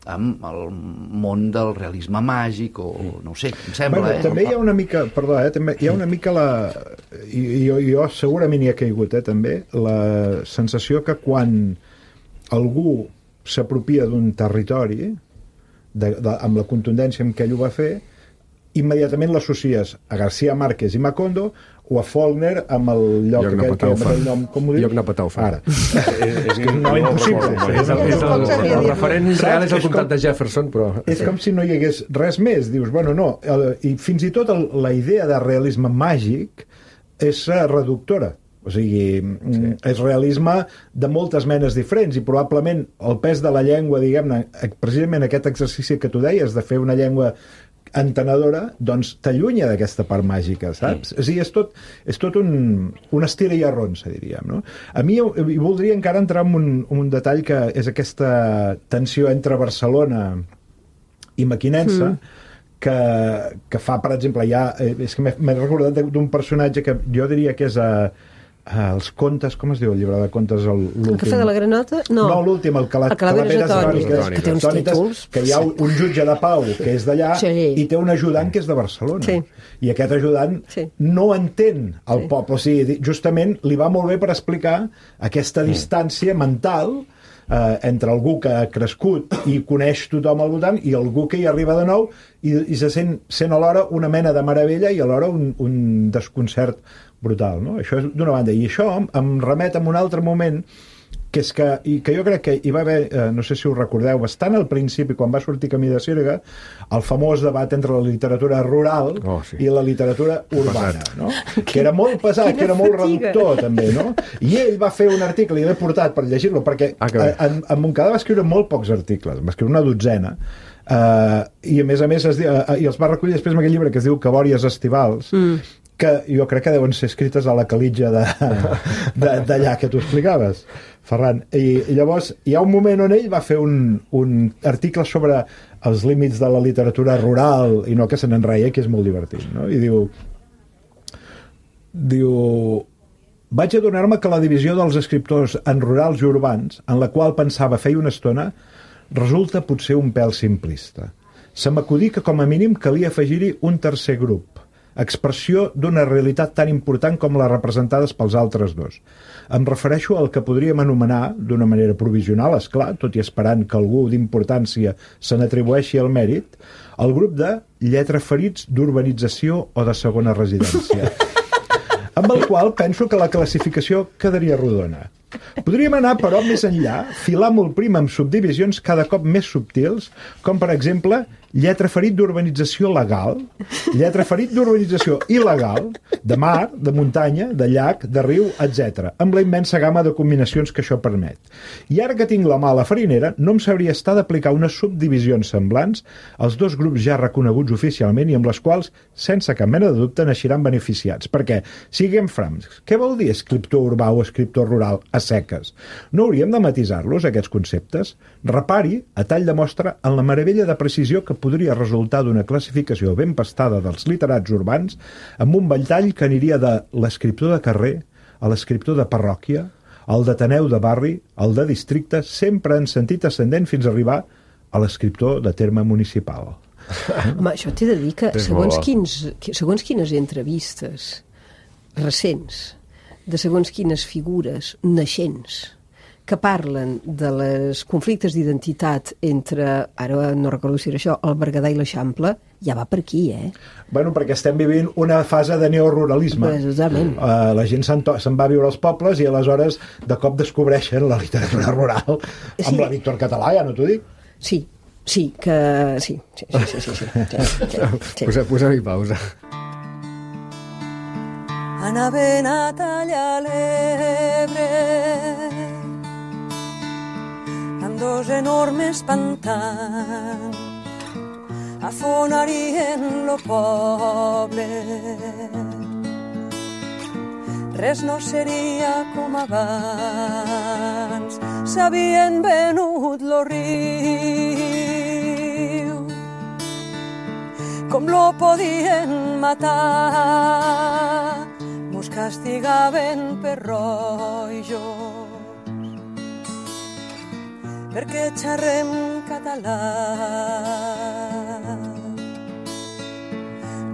amb el món del realisme màgic, o no ho sé, em sembla, bueno, eh? També hi ha una mica, perdó, eh, també hi ha una mica la... I, jo, jo segurament hi ha caigut, eh, també, la sensació que quan algú s'apropia d'un territori, de, de, amb la contundència amb què ell ho va fer, immediatament l'associes a García Márquez i Macondo o a Faulkner amb el lloc, Lloc que, que, Napataufa. el nom, com ho dius? Lloc Napataufa. Ara. és, és no impossible. És el, és el, el, el referent real és el comtat de Jefferson, però... És com si no hi hagués res més. Dius, bueno, no. El, I fins i tot el, la idea de realisme màgic és reductora. O sigui, sí. És realisme de moltes menes diferents i probablement el pes de la llengua, diguem-ne, precisament aquest exercici que tu deies de fer una llengua entenedora, doncs t'allunya d'aquesta part màgica, saps? Mm. O sigui, és tot, és tot un, un estira i arronsa, diríem, no? A mi hi voldria encara entrar en un, un detall que és aquesta tensió entre Barcelona i Mequinensa, mm. que, que fa, per exemple, ja... És que m'he recordat d'un personatge que jo diria que és a... Ah, els contes, com es diu el llibre de contes? El, el Cafè de la Granota? No, no l'últim, el, Cala, el Calaveres Atòniques, que té uns títols. Que hi ha un, un jutge de pau que és d'allà sí. i té un ajudant que és de Barcelona. Sí. I aquest ajudant sí. no entén el sí. poble. O sigui, justament li va molt bé per explicar aquesta mm. distància mental eh, entre algú que ha crescut i coneix tothom al voltant i algú que hi arriba de nou i, i se sent, sent alhora una mena de meravella i alhora un, un desconcert brutal, no? Això és d'una banda. I això em remet a un altre moment que és que, i que jo crec que hi va haver, eh, no sé si ho recordeu, bastant al principi, quan va sortir Camí de Sirga, el famós debat entre la literatura rural oh, sí. i la literatura urbana, no? Que era molt pesat, que era molt fatiga. Reductor, també, no? I ell va fer un article, i l'he portat per llegir-lo, perquè ah, en, en Montcada va escriure molt pocs articles, va escriure una dotzena, uh, i a més a més es, uh, i els va recollir després en aquell llibre que es diu Cabòries estivals, mm. que jo crec que deuen ser escrites a la calitja d'allà que tu explicaves, Ferran. I, I llavors hi ha un moment on ell va fer un, un article sobre els límits de la literatura rural i no que se n'enreia, que és molt divertit, no? I diu... Diu... Vaig adonar-me que la divisió dels escriptors en rurals i urbans, en la qual pensava feia una estona, resulta potser un pèl simplista. Se m'acudí que com a mínim calia afegir-hi un tercer grup, expressió d'una realitat tan important com les representades pels altres dos. Em refereixo al que podríem anomenar, d'una manera provisional, esclar, tot i esperant que algú d'importància se n'atribueixi el mèrit, el grup de lletraferits d'urbanització o de segona residència, amb el qual penso que la classificació quedaria rodona. Podríem anar, però, més enllà, filar molt prim amb subdivisions cada cop més subtils, com, per exemple, lletraferit d'urbanització legal, lletraferit d'urbanització il·legal, de mar, de muntanya, de llac, de riu, etcètera, amb la immensa gamma de combinacions que això permet. I ara que tinc la mà a la farinera, no em sabria estar d'aplicar unes subdivisions semblants als dos grups ja reconeguts oficialment i amb les quals, sense cap mena de dubte, n'eixiran beneficiats. Perquè, siguem francs, què vol dir escriptor urbà o escriptor rural a seques? No hauríem de matisar-los, aquests conceptes? Repari, a tall de mostra, en la meravella de precisió que podria resultar d'una classificació ben pastada dels literats urbans amb un ventall que aniria de l'escriptor de carrer a l'escriptor de parròquia, al d'ateneu de barri, al de districte, sempre en sentit ascendent fins a arribar a l'escriptor de terme municipal. Home, això t'he de dir que segons, quins, segons quines entrevistes recents de segons quines figures naixents que parlen de les conflictes d'identitat entre, ara no recordo si era això, el Berguedà i l'Eixample, ja va per aquí, eh? Bueno, perquè estem vivint una fase de neoruralisme. Precisament. Uh, la gent se'n, se'n va a viure als pobles i aleshores de cop descobreixen la literatura rural amb sí. La Víctor Català, ja no t'ho dic? Sí, sí, que... Sí, sí, sí, sí, sí, sí, sí, sí. Posa, posa-hi pausa. Anaven a tallar l'Ebre amb dos enormes pantans afonarien lo poble. Res no seria com abans, s'havien venut lo riu, com lo podien matar, mos castigaven per rojos, perquè xerrem català.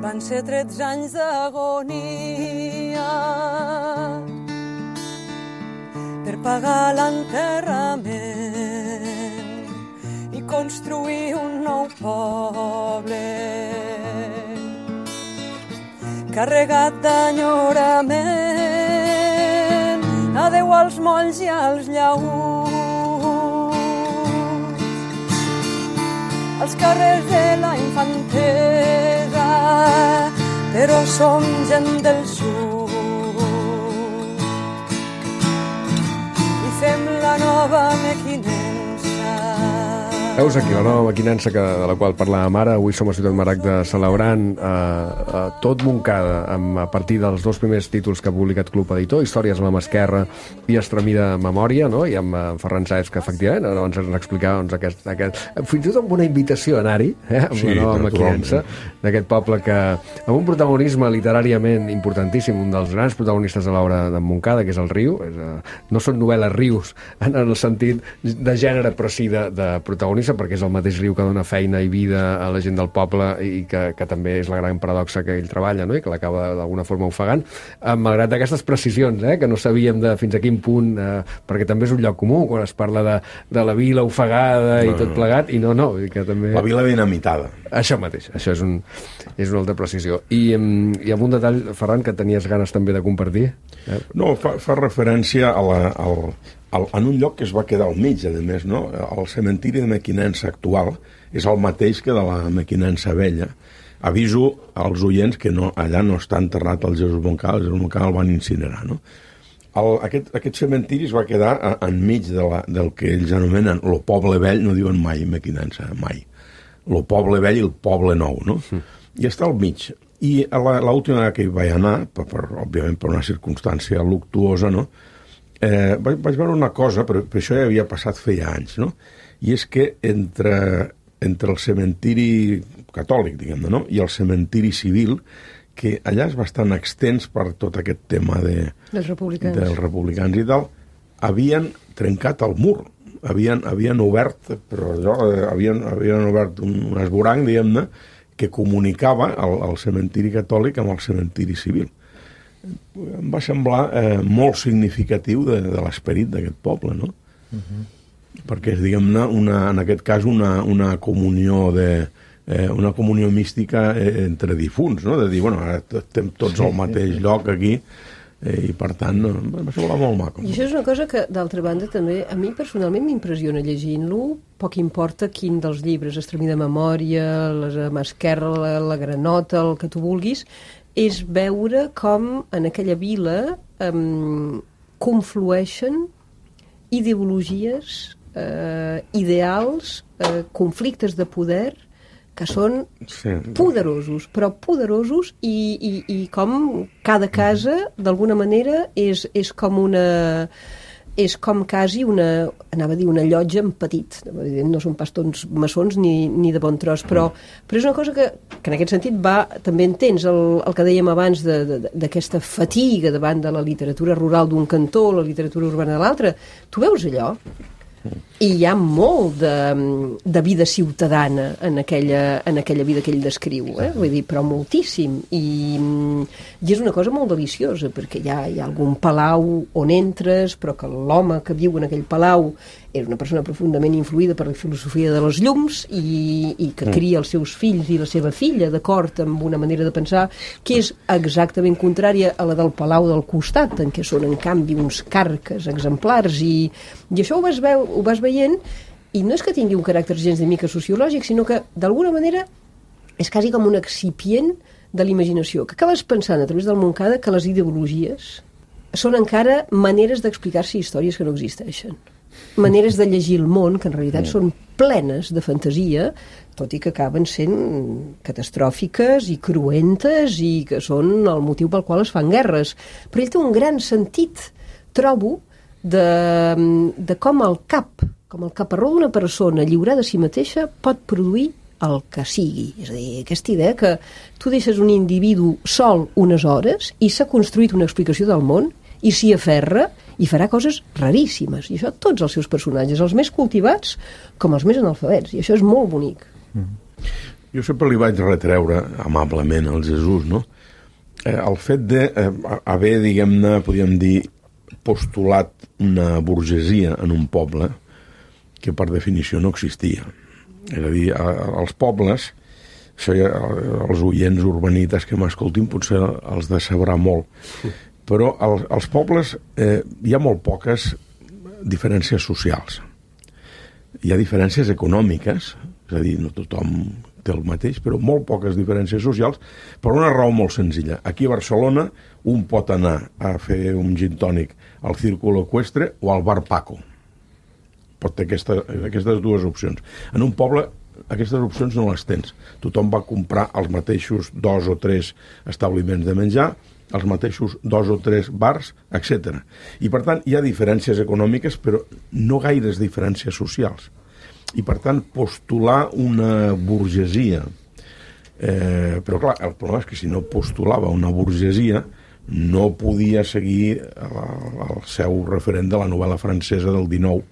Van ser tretze anys d'agonia per pagar l'enterrament i construir un nou meu poble, carregat d'enyorament, adeu als molls i als llaüts, als carrers de la infantesa, però som gent del sud i fem la nova mequinença. Veus aquí la nova maquinença que, de la qual parlàvem ara. Avui som a Ciutat Maragda celebrant eh, eh, tot Montcada amb, a partir dels dos primers títols que ha publicat Club Editor, Històries a la mà esquerra i Estremida memòria, no? I amb en Ferran Sáez, que efectivament ara ens explicava doncs, aquest, aquest, fins i tot amb una invitació a anar-hi, eh, amb sí, la nova maquinença d'aquest poble que amb un protagonisme literàriament importantíssim, un dels grans protagonistes de l'obra de Montcada, que és el Riu. És, eh, no són novel·les rius en el sentit de gènere, però sí de, de protagonisme, perquè és el mateix riu que dona feina i vida a la gent del poble i que, que també és la gran paradoxa que ell treballa, no? I que l'acaba d'alguna forma ofegant, eh, malgrat aquestes precisions, eh, que no sabíem de fins a quin punt, eh, perquè també és un lloc comú quan es parla de, de la vila ofegada i no, tot plegat, i no, no, i que també... La vila dinamitada. Això mateix, això és, un, és una altra precisió. I, i amb un detall, Ferran, que tenies ganes també de compartir? Eh? No, fa, fa referència a la, al, al, en un lloc que es va quedar al mig, a més, no? El cementiri de Mequinensa actual és el mateix que de la Mequinensa vella. Aviso als oients que no, allà no està enterrat el Jesús Moncada, el Jesús Moncada el van incinerar, no? El, aquest, aquest cementiri es va quedar a, enmig de la, del que ells anomenen lo poble vell, no diuen mai Mequinensa, mai. Lo poble vell i el poble nou, no? Mm. I està al mig. I l'última vegada que hi vaig anar, per, per, òbviament per una circumstància luctuosa, no? Eh, vaig, vaig veure una cosa, però, però això ja havia passat feia anys, no? I és que entre, entre el cementiri catòlic, diguem-ne, no? I el cementiri civil, que allà és bastant extens per tot aquest tema de, dels republicans. dels republicans i tal, havien trencat el mur, havien, havien obert, però allò, eh, havien, havien obert un, un esborang, diguem-ne, que comunicava el, el cementiri catòlic amb el cementiri civil. Em va semblar eh, molt significatiu de, de l'esperit d'aquest poble, no? Uh-huh. Perquè és, diguem-ne, una, en aquest cas, una, una comunió de... Eh, una comunió mística eh, entre difunts, no? De dir, bueno, ara estem tots al mateix lloc aquí, eh, i per tant em va semblar molt maco. I això és una cosa que, d'altra banda, també a mi personalment m'impressiona llegint-lo, poc importa quin dels llibres, Estremida memòria, la mà esquerra, la, la granota, el que tu vulguis, és veure com en aquella vila eh, conflueixen ideologies, eh, ideals, eh, conflictes de poder que són sí. poderosos, però poderosos i, i, i com cada casa, d'alguna manera, és, és com una... és com quasi una, anava a dir una llotja en petit, no són pas tots maçons ni, ni de bon tros, però, però és una cosa que, que en aquest sentit va, també entens el, el que dèiem abans d'aquesta fatiga davant de la literatura rural d'un cantó, la literatura urbana de l'altre. Tu veus allò? I hi ha molt de, de vida ciutadana en aquella, en aquella vida que ell descriu, eh? Vull dir, però moltíssim, i, i és una cosa molt deliciosa, perquè hi ha, hi ha algun palau on entres, però que l'home que viu en aquell palau és una persona profundament influïda per la filosofia de les llums i, i que cria els seus fills i la seva filla d'acord amb una manera de pensar que és exactament contrària a la del palau del costat, en què són en canvi uns carques exemplars, i, i això ho vas, veu, ho vas veient, i no és que tingui un caràcter gens de mica sociològic, sinó que d'alguna manera és quasi com un excipient de l'imaginació, que acabes pensant a través del Montcada que les ideologies són encara maneres d'explicar-se històries que no existeixen, maneres de llegir el món que en realitat són plenes de fantasia, tot i que acaben sent catastròfiques i cruentes i que són el motiu pel qual es fan guerres. Però ell té un gran sentit, trobo, de, de com el cap, com el caparró d'una persona lliurada a si mateixa pot produir el que sigui. És a dir, aquesta idea que tu deixes un individu sol unes hores i s'ha construït una explicació del món i s'hi aferra i farà coses raríssimes. I això tots els seus personatges, els més cultivats com els més analfabets. I això és molt bonic. Mm. Jo sempre li vaig retreure amablement al Jesús, no? Eh, el fet d'haver, eh, diguem-ne, podríem dir, postulat una burgesia en un poble que per definició no existia. És a dir, a, als pobles, això ja, els oients urbanites que m'escoltin potser els decebrà molt, però als, als pobles eh, hi ha molt poques diferències socials. Hi ha diferències econòmiques, és a dir, no tothom té el mateix, però molt poques diferències socials, per una raó molt senzilla. Aquí a Barcelona un pot anar a fer un gin tònic al Círculo Ecuestre o al Bar Paco. Pot ter aquesta, aquestes dues opcions. En un poble aquestes opcions no les tens. Tothom va comprar els mateixos dos o tres establiments de menjar, els mateixos dos o tres bars, etcètera. I per tant hi ha diferències econòmiques, però no gaires diferències socials. I per tant postular una burgesia, eh, però clar, el problema és que si no postulava una burgesia no podia seguir el, el seu referent de la novel·la francesa del dinou,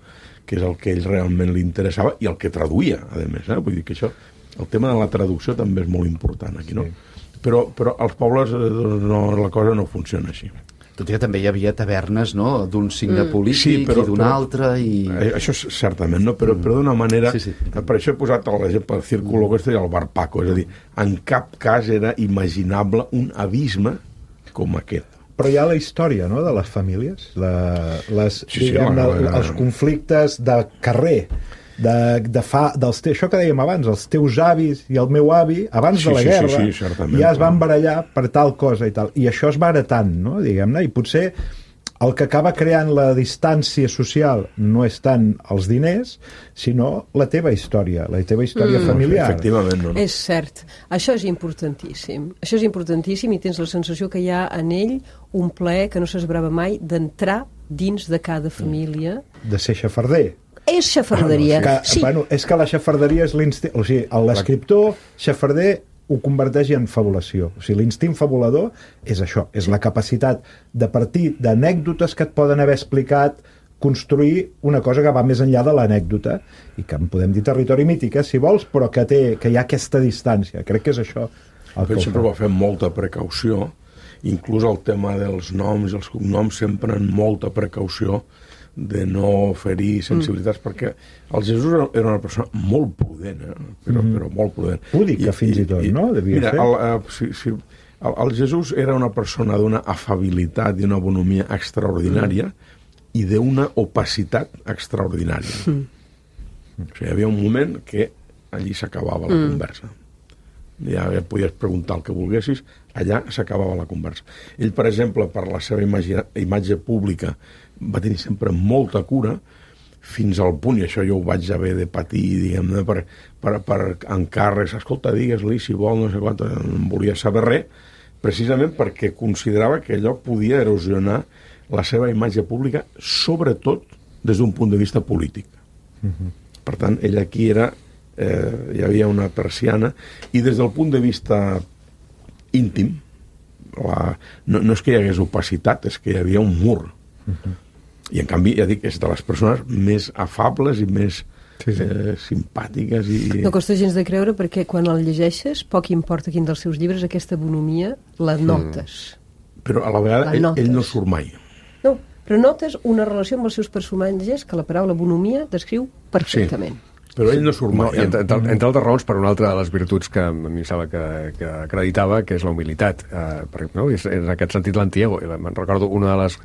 que és el que ell realment li interessava i el que traduïa, a més. Eh? Vull dir que això, el tema de la traducció també és molt important aquí, no? Sí. Però, però als pobles doncs, no, la cosa no funciona així. Tot i que també hi havia tavernes, no?, d'un signe mm. polític sí, però, i d'un altre. I... Això és certament, no? Però, mm. però d'una manera... Sí, sí. Per això he posat l'exemple del Círculo Ecuestre i el Bar Paco. És a dir, en cap cas era imaginable un abisme com aquest. Però hi ha la història, no?, de les famílies, la, les, sí, diguem, sí, la, la, els conflictes de carrer, de, de fa, dels te, això que dèiem abans, els teus avis i el meu avi, abans sí, de la sí, guerra, sí, sí, ja es van barallar per tal cosa i tal. I això es va heretant, no?, diguem-ne, i potser el que acaba creant la distància social no és tant els diners, sinó la teva història, la teva història mm. familiar. Efectivament, no, no. És cert. Això és importantíssim. Això és importantíssim i tens la sensació que hi ha en ell un plaer que no s'esbrava mai d'entrar dins de cada família. De ser xafarder. És xafarderia. Ah, no, sí. Que, bueno, és que la xafarderia és l'instint... O sigui, l'escriptor xafarder ho converteix en fabulació. O sigui, l'instint fabulador és això, és la capacitat de partir d'anècdotes que et poden haver explicat, construir una cosa que va més enllà de l'anècdota, i que en podem dir territori mític, eh, si vols, però que, té, que hi ha aquesta distància. Crec que és això. El que sempre va fer molta precaució, inclús el tema dels noms i els cognoms, sempre en molta precaució de no ferir sensibilitats, mm. perquè el Jesús era una persona molt prudent, eh? però, mm. però molt prudent. Púdica, fins i tot, i, no? Devia mira, ser. El, uh, si, si, el, el Jesús era una persona d'una afabilitat i una bonomia extraordinària mm. i d'una opacitat extraordinària. Mm. O sigui, hi havia un moment que allí s'acabava la mm. conversa. Ja podies preguntar el que volguessis, allà s'acabava la conversa. Ell, per exemple, per la seva imatge, imatge pública, va tenir sempre molta cura, fins al punt, i això jo ho vaig haver de patir, diguem-ne, per, per, per encàrrecs, escolta, digues-li si vol, no sé quant, no volia saber res, precisament perquè considerava que allò podia erosionar la seva imatge pública, sobretot des d'un punt de vista polític. Uh-huh. Per tant, ell aquí era, eh, hi havia una persiana, i des del punt de vista íntim, la, no, no és que hi hagués opacitat, és que hi havia un mur. Uh-huh. I en canvi, ja dic, és de les persones més afables i més sí, sí. Eh, simpàtiques i... No costa gens de creure perquè quan el llegeixes, poc importa quin dels seus llibres, aquesta bonomia la notes. Mm. Però a la vegada ell, ell no surt mai. No, però notes una relació amb els seus personatges que la paraula bonomia descriu perfectament. Sí. Però ell no surt mai. No, entre, entre altres raons, per una altra de les virtuts que a mi em sembla que, que acreditava, que és la humilitat. Uh, perquè, no? És, és en aquest sentit l'antiego. Me'n recordo una de les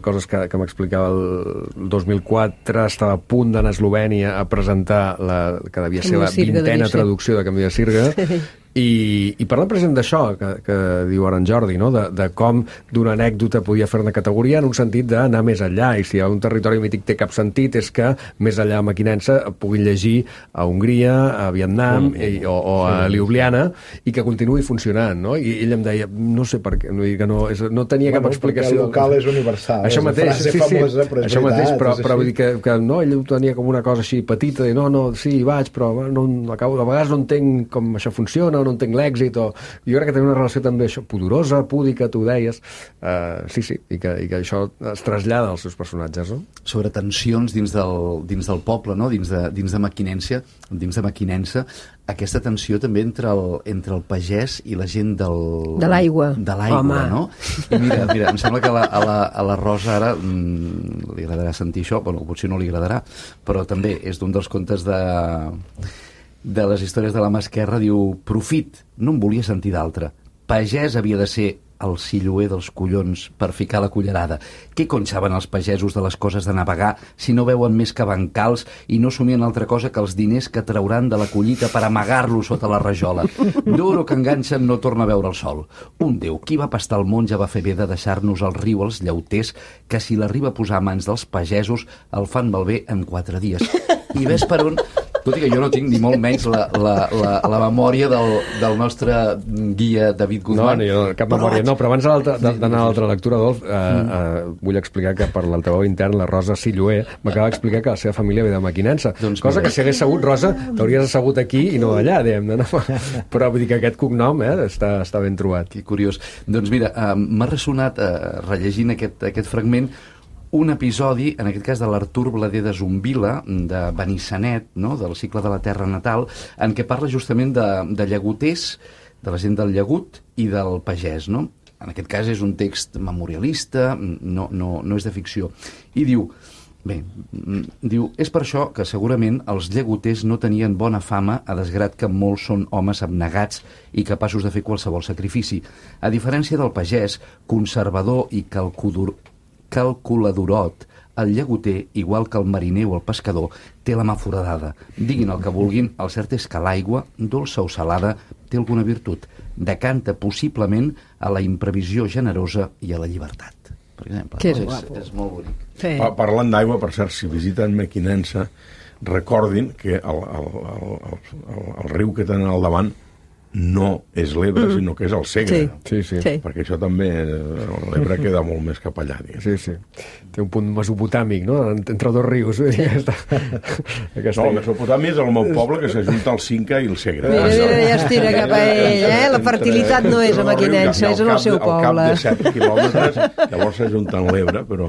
coses que, que m'explicava el dos mil quatre, estava a punt d'anar a Eslovènia a presentar la que devia ser la vintena traducció de Camí de Sirga, i, i parlant precisament d'això que, que diu ara en Jordi, no? de, de com d'una anècdota podia fer una categoria en un sentit d'anar més enllà, i si un territori mític té cap sentit és que més enllà a Mequinensa puguin llegir a Hongria, a Vietnam mm. i, o, o a Ljubljana, i que continuï funcionant, no? I ell em deia, no sé per què, no, que no, és, no tenia bueno, cap explicació. Perquè el local és universal, això és mateix, una frase sí, sí, famosa, però és això veritat, mateix, però, és però vull dir que, que no, ell ho tenia com una cosa així petita, i no, no, sí, vaig, però no, acabo, de vegades no entenc com això funciona, no entenc l'èxit, o... jo crec que tenia una relació també això, pudorosa, púdica, tu deies, uh, sí, sí, i que, i que això es trasllada als seus personatges, no? Sobre tensions dins del, dins del poble, no? Dins de, dins de Mequinensa, dins de Mequinensa, aquesta tensió també entre el, entre el pagès i la gent del... De l'aigua. De l'aigua, no? I mira, mira, em sembla que a la, a la, a la Rosa ara mm, li agradarà sentir això, bueno, potser no li agradarà, però també és d'un dels contes de... de les històries de la mà esquerra, diu: profit, no en volia sentir d'altre. Pagès havia de ser el silloer dels collons per ficar la cullerada. Què cony saben els pagesos de les coses de navegar si no veuen més que bancals i no somien altra cosa que els diners que trauran de la collita per amagar-lo sota la rajola? D'oro que enganxen no torna a veure el sol. Un déu, qui va pastar el món ja va fer bé de deixar-nos al riu els llauters, que si l'arriba a posar a mans dels pagesos el fan malbé en quatre dies. I ves per on... Tot i que jo no tinc ni molt menys la, la, la, la memòria del, del nostre guia David Guzmán. No, no, cap memòria. No, però abans d'anar a l'altra lectura, Adolf, eh, eh, vull explicar que per l'altaveu intern la Rosa Silloer m'acaba d'explicar que la seva família ve de Mequinensa. Doncs cosa mira, que si hagués sabut, Rosa, t'hauries assegut aquí i no allà, diguem-ne. No? Però vull dir que aquest cognom eh, està, està ben trobat. Que curiós. Doncs mira, eh, m'ha ressonat, eh, rellegint aquest, aquest fragment, un episodi, en aquest cas de l'Artur Blader de Zumbila, de Benissanet, no?, del cicle de la terra natal, en què parla justament de, de llagoters, de la gent del llagut i del pagès, no? En aquest cas és un text memorialista, no, no, no és de ficció. I diu, bé, diu, és per això que segurament els llagoters no tenien bona fama, a desgrat que molts són homes abnegats i capaços de fer qualsevol sacrifici. A diferència del pagès, conservador i calcudor, calculadorot, el llagoter, igual que el mariner o el pescador, té la mà foradada. Diguin el que vulguin, el cert és que l'aigua, dolça o salada, té alguna virtut. Decanta possiblement a la imprevisió generosa i a la llibertat. Per exemple, que és, no? és, és molt bonic. Sí. Pa Parlant d'aigua, per cert, si visiten Mequinensa, recordin que el, el, el, el, el, el riu que tenen al davant no és l'Ebre, mm. sinó que és el Segre. Sí. Sí, sí. Sí. Perquè això també, l'Ebre queda molt més cap allà. Diguem. Sí, sí. Té un punt mesopotàmic, no?, entre dos rius. Sí. Aquesta, aquesta... No, el Mesopotàmia és el meu poble que s'ajunta al Cinca i el Segre. Mira, mira, ja es tira cap a ell, eh? La fertilitat no és a Mequinensa, és en el seu poble. Al cap de set quilòmetres, llavors s'ajunten l'Ebre, però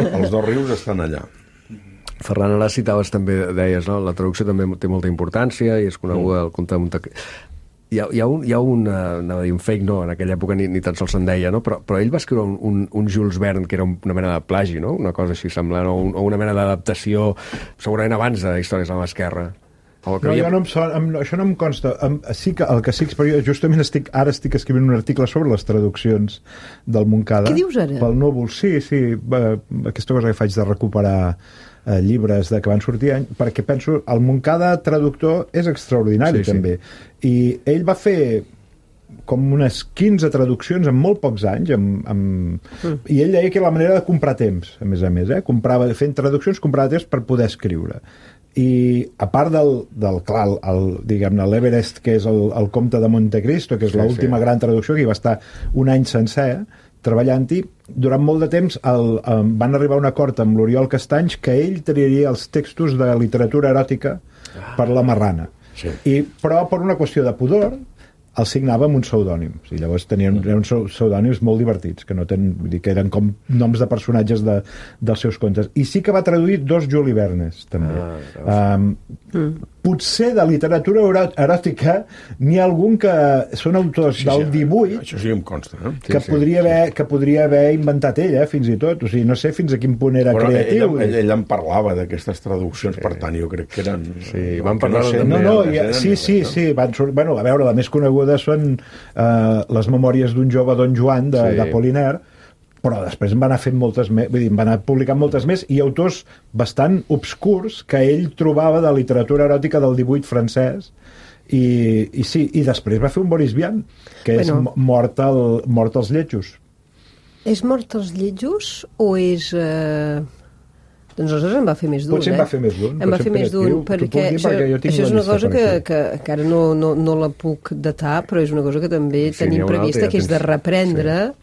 els dos rius estan allà. Ferran, ara citaves també, deies, no?, la traducció també té molta importància i és coneguda el conte de Monte... Hi ha, hi ha, un, hi ha un, anava a dir, un fake, no, en aquella època ni, ni tan sols se'n deia, no? però, però ell va escriure un, un, un Jules Verne que era una mena de plagi, no? Una cosa així semblant, o, un, o una mena d'adaptació, segurament abans de Històries de la mà esquerra. No, havia... jo no em son, em, això no em consta. Em, sí que, el que sí que jo justament estic, ara estic escrivint un article sobre les traduccions del Montcada. Què dius ara? Pel Núvol, sí, sí. Va, aquesta cosa que faig de recuperar eh, llibres de que van sortir, perquè penso, el Montcada traductor és extraordinari, sí, també. Sí. I ell va fer com unes quinze traduccions en molt pocs anys, amb, amb... Mm. i ell deia que era la manera de comprar temps, a més a més, eh? Comprava, fent traduccions, comprava temps per poder escriure. I a part del, del clar, el, el, diguem-ne, l'Everest, que és el, el Comte de Montecristo, que és sí, l'última sí. gran traducció, que hi va estar un any sencer treballant-hi, durant molt de temps el, el, van arribar a un acord amb l'Oriol Castanys que ell triaria els textos de literatura eròtica per la Marrana. Sí. I, però per una qüestió de pudor el signava amb un pseudònim. I llavors tenien uns pseudònims molt divertits, que no ten, vull dir, que eren com noms de personatges de, dels seus contes. I sí que va traduir dos Juli Vernes, també. Ah, um, mm. Potser de literatura eròtica n'hi ha algun que són autors sí, del divuit això sí em consta, eh? que, sí, podria sí, haver, sí. que podria haver inventat ella, fins i tot. O sigui, no sé fins a quin punt era bueno, creatiu. Ella, ella, ella en parlava d'aquestes traduccions, sí. per tant, jo crec que eren... Sí, van parlar no, sé, també. No, no, ja, sí, sí, sí. Van, bueno, a veure, la més coneguda són uh, les memòries d'un jove Don Joan, de, sí. d'Apollinaire, però després en van anar fent moltes més, vull dir, en van anar publicant moltes més, i autors bastant obscurs que ell trobava de literatura eròtica del divuit francès, i, i sí, i després va fer un Boris Vian, que bueno, és mort, el, mort als lletjos. És mort als lletjos o és... Eh... Doncs aleshores en va fer més d'un, Potser eh? en va fer més d'un. En va fer més d'un, perquè, això, perquè això és una cosa que, que, que ara no, no, no la puc datar, però és una cosa que també sí, tenim prevista, que és de reprendre sí.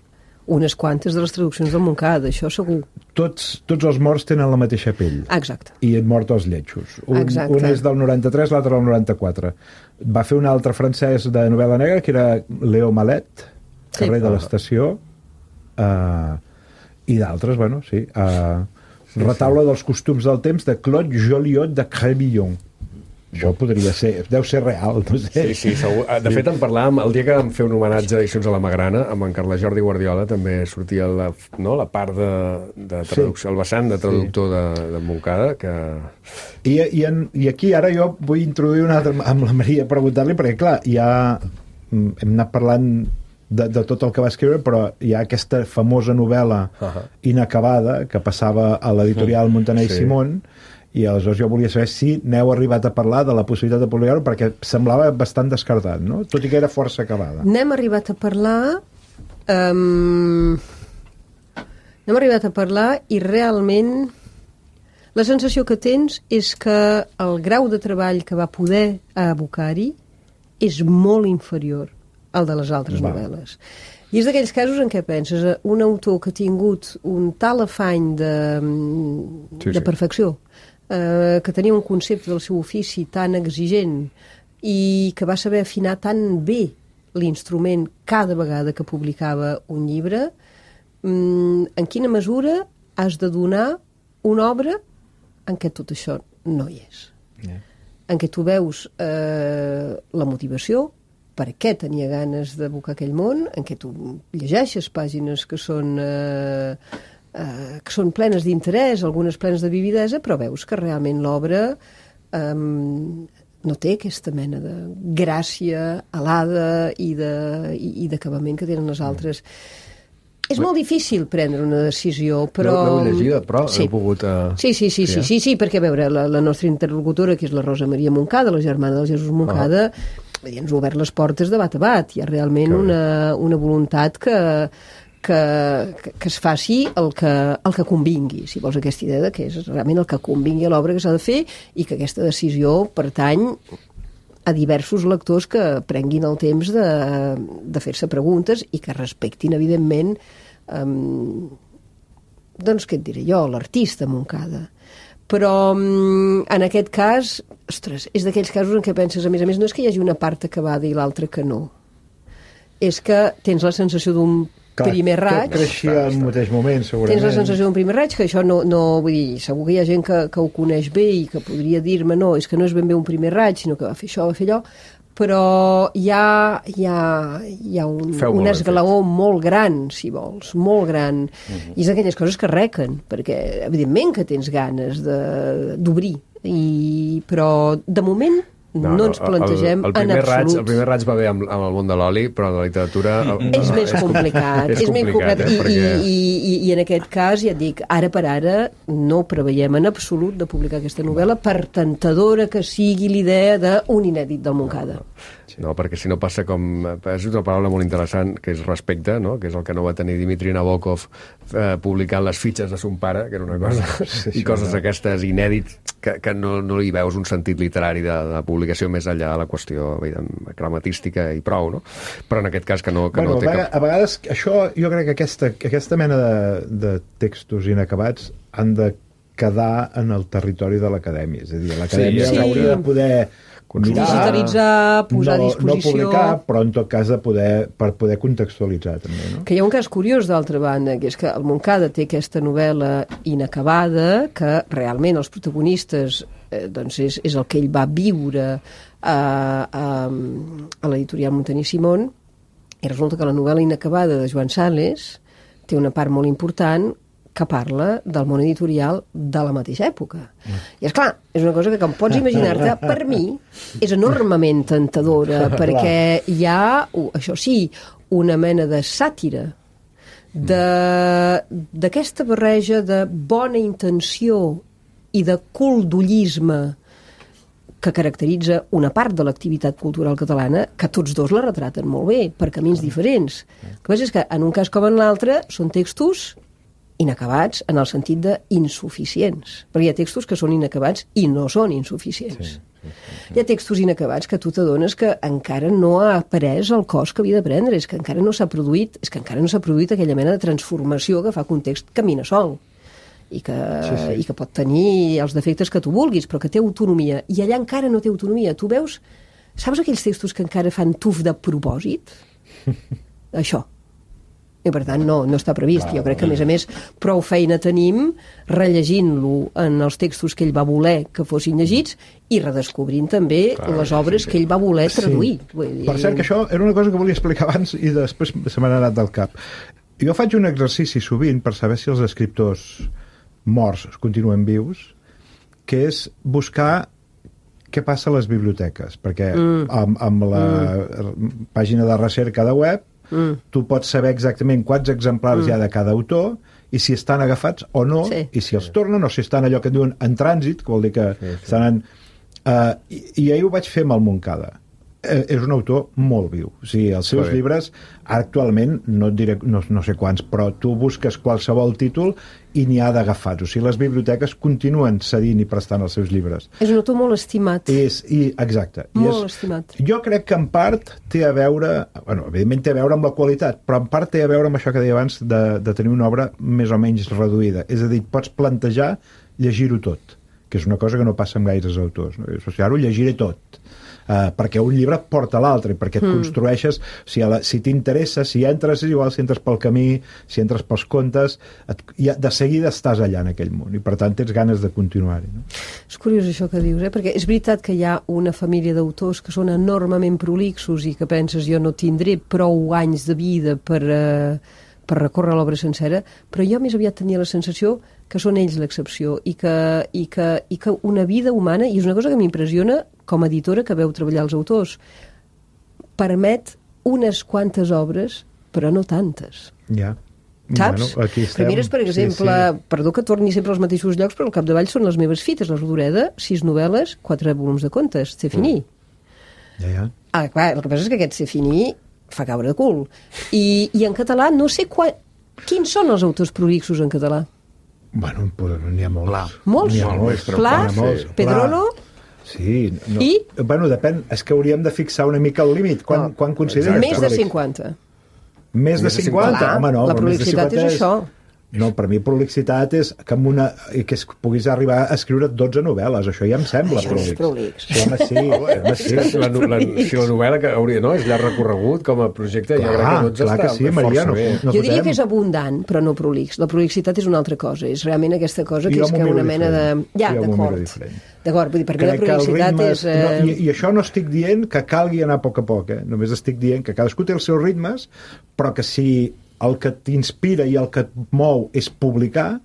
unes quantes de les traduccions del Montcada, això segur. Tots, tots els morts tenen la mateixa pell. Exacte. I et mort als lletjos. Un, un és del noranta-tres, l'altre del noranta-quatre. Va fer un altre francès de novel·la negra, que era Léo Malet, Carrer sí. de l'Estació, uh, i d'altres, bueno, sí... Uh, sí, Retaule sí. dels costums del temps de Claude Joliot de Crébillon. Això podria ser, deu ser real, no sé. Sí, sí, segur. De fet, en parlàvem, el dia que vam fer un homenatge a Edicions a la Magrana, amb en Carles Jordi Guardiola, també sortia la, no, la part de, de traducció, sí. El vessant de traductor sí. de, de Montcada, que... I, i, en, I aquí ara jo vull introduir una altra, amb la Maria, preguntar-li, perquè clar, ja hem anat parlant de, de tot el que va escriure, però hi ha aquesta famosa novel·la uh-huh. inacabada, que passava a l'editorial Montaner i sí. Simón, i aleshores jo volia saber si n'heu arribat a parlar de la possibilitat de publicar-ho, perquè semblava bastant descartat, no? Tot i que era força acabada. N'hem arribat a parlar um, n'hem arribat a parlar i realment la sensació que tens és que el grau de treball que va poder abocar-hi és molt inferior al de les altres va. novel·les. I és d'aquells casos en què penses un autor que ha tingut un tal afany de, sí, de perfecció, eh, que tenia un concepte del seu ofici tan exigent i que va saber afinar tan bé l'instrument cada vegada que publicava un llibre, en quina mesura has de donar una obra en què tot això no hi és. Yeah. En què tu veus eh, la motivació, per què tenia ganes d'abocar aquell món, en què tu llegeixes pàgines que són, eh, eh, que són plenes d'interès, algunes plenes de vividesa, però veus que realment l'obra eh, no té aquesta mena de gràcia alada i d'acabament que tenen les altres. Mm. És molt difícil prendre una decisió, però... L'heu llegida, però sí. heu pogut... Uh... Sí, sí, sí, sí, sí, sí, perquè, a veure, la, la nostra interlocutora, que és la Rosa Maria Montcada, la germana del Jesús Montcada, ah. ens ha obert les portes de bat a bat. Hi ha realment una, una voluntat que, que, que es faci el que, el que convingui, si vols, aquesta idea de que és realment el que convingui a l'obra que s'ha de fer i que aquesta decisió pertany a diversos lectors que prenguin el temps de, de fer-se preguntes i que respectin, evidentment, um, doncs, què et diré jo, l'artista Montcada. Però en aquest cas, ostres, és d'aquells casos en què penses, a més a més, no és que hi hagi una part acabada i l'altra que no. És que tens la sensació d'un primer raig... Que creixia al mateix moment, segurament. Tens la sensació d'un primer raig, que això no, no... Vull dir, segur que hi ha gent que, que ho coneix bé i que podria dir-me, no, és que no és ben bé un primer raig, sinó que va fer això, va fer allò, però hi ha, hi ha, hi ha un, un esglaó molt gran, si vols, molt gran. Uh-huh. I és aquelles coses que requen, perquè evidentment que tens ganes d'obrir, però de moment no, no ens plantegem el, el en absolut. Raig, el primer raig va bé amb, amb el món de l'oli, però en la literatura... El, és més complicat. és, és complicat, eh, I, perquè... i, i, i en aquest cas, ja et dic, ara per ara no preveiem en absolut de publicar aquesta novel·la, per tentadora que sigui l'idea d'un inèdit del Montcada. No, perquè si no passa com... És una paraula molt interessant, que és respecte, no? Que és el que no va tenir Dmitri Nabokov eh, publicant les fitxes de son pare, que era una cosa... Sí, i coses no. aquestes inèdits que, que no, no hi veus un sentit literari de, de publicació més enllà de la qüestió gramatística i prou, no? Però en aquest cas que no, que bueno, no té a, cap... A vegades, això, jo crec que aquesta, aquesta mena de, de textos inacabats han de quedar en el territori de l'acadèmia. És a dir, l'acadèmia sí, sí. hauria de poder... Mirar, digitalitzar, posar no, a disposició... No publicar, però en tot cas de poder, per poder contextualitzar també, no? Que hi ha un cas curiós d'altra banda, que és que el Montcada té aquesta novel·la inacabada, que realment els protagonistes eh, doncs és, és el que ell va viure a, a, a l'editorial Montaner i Simón, i resulta que la novel·la inacabada de Joan Sales té una part molt important que parla del món editorial de la mateixa època. Mm. I, esclar, és una cosa que, com pots imaginar-te, per mi és enormement tentadora, perquè hi ha, això sí, una mena de sàtira, d'aquesta barreja de bona intenció i de coldollisme que caracteritza una part de l'activitat cultural catalana, que tots dos la retraten molt bé, per camins diferents. El que passa és que, en un cas com en l'altre, són textos inacabats en el sentit d'insuficients. Perquè hi ha textos que són inacabats i no són insuficients. Sí, sí, sí. Hi ha textos inacabats que tu t'adones que encara no ha pres el cos que havia de prendre, és que encara no s'ha produït, és que encara no s'ha produït aquella mena de transformació que fa que un text camina sol i que, sí, sí. i que pot tenir els defectes que tu vulguis, però que té autonomia. I allà encara no té autonomia. Tu veus, saps aquells textos que encara fan tuf de propòsit? Això. i per tant no, no està previst. Jo crec que a més a més prou feina tenim rellegint-lo en els textos que ell va voler que fossin llegits i redescobrint també Clar, les obres sí, sí. que ell va voler traduir. Sí. Vull dir... Per cert, que això era una cosa que volia explicar abans i després se m'ha anat del cap. Jo faig un exercici sovint per saber si els escriptors morts continuen vius, que és buscar què passa a les biblioteques, perquè mm. amb, amb la mm. pàgina de recerca de web mm. tu pots saber exactament quants exemplars mm. hi ha de cada autor i si estan agafats o no, sí. i si els tornen o si estan allò que diuen en trànsit, que vol dir que sí, sí. estan en... Uh, i, I ahir ho vaig fer amb el Montcada. Eh, és un autor molt viu. O sigui, els seus llibres, actualment, no et diré, no, no sé quants, però tu busques qualsevol títol i n'hi ha d'agafats. O sigui, les biblioteques continuen cedint i prestant els seus llibres. És un autor molt estimat. És, i, exacte. Molt I és, estimat. Jo crec que en part té a veure, bueno, evidentment té a veure amb la qualitat, però en part té a veure amb això que deia abans de, de tenir una obra més o menys reduïda. És a dir, pots plantejar llegir-ho tot, que és una cosa que no passa amb gaires autors. No? O sigui, ara ho llegiré tot. Uh, perquè un llibre porta l'altre, perquè et mm. construeixes, si, la, si t'interessa, si entres, és igual si entres pel camí, si entres pels contes, et, ja, de seguida estàs allà en aquell món, i per tant tens ganes de continuar-hi. No? És curiós això que dius, eh? Perquè és veritat que hi ha una família d'autors que són enormement prolixos i que penses jo no tindré prou anys de vida per... Uh... per recórrer l'obra sencera, però jo més aviat tenia la sensació que són ells l'excepció i que, i, que, i que una vida humana, i és una cosa que m'impressiona com a editora que veu treballar els autors, permet unes quantes obres, però no tantes. Ja. Saps? Bueno, aquí estem. Mires, per exemple, sí, sí. perdó que torni sempre als mateixos llocs, però al capdavall són les meves fites, la Rodoreda, sis novel·les, quatre volums de contes, c'est fini. Ja, ja. Ah, clar, el que passa és que aquest c'est fini fa caure de cul. I, i en català no sé qua... quins són els autors prolixos en català? Bueno, n'hi ha molts. Pla. Molts? N'hi ha molts. Pla? Molts. Pedrolo? Sí. No. I? Bueno, depèn. És que hauríem de fixar una mica el límit. Quan, No. quan consideres Més de prolix? cinquanta. Més de cinquanta? Clar, Home, no. la però més de prolixitat cinquanta és això. No, per mi prolixitat és que, amb una, que es puguis arribar a escriure dotze novel·les. Això ja em sembla Això és prolix. prolix. Sí, home, sí. home, sí. Si la, la, si la novel·la que hauria, no, és llarg recorregut com a projecte, Clar, jo crec que dotze clar està que sí, Maria, força no- bé. no- Jo diria fotem. que és abundant, però no prolix. La prolixitat és una altra cosa. És realment aquesta cosa que Jo és m'ho que miro una mena de... diferent. Ja, Jo m'ho miro d'acord. diferent. D'acord, vull dir, per mi la Crec que el prolixitat ritme és... Eh... no, i, i això no estic dient que calgui anar a poc a poc, eh? Només estic dient que cadascú té els seus ritmes, però que si el que t'inspira i el que et mou és publicar,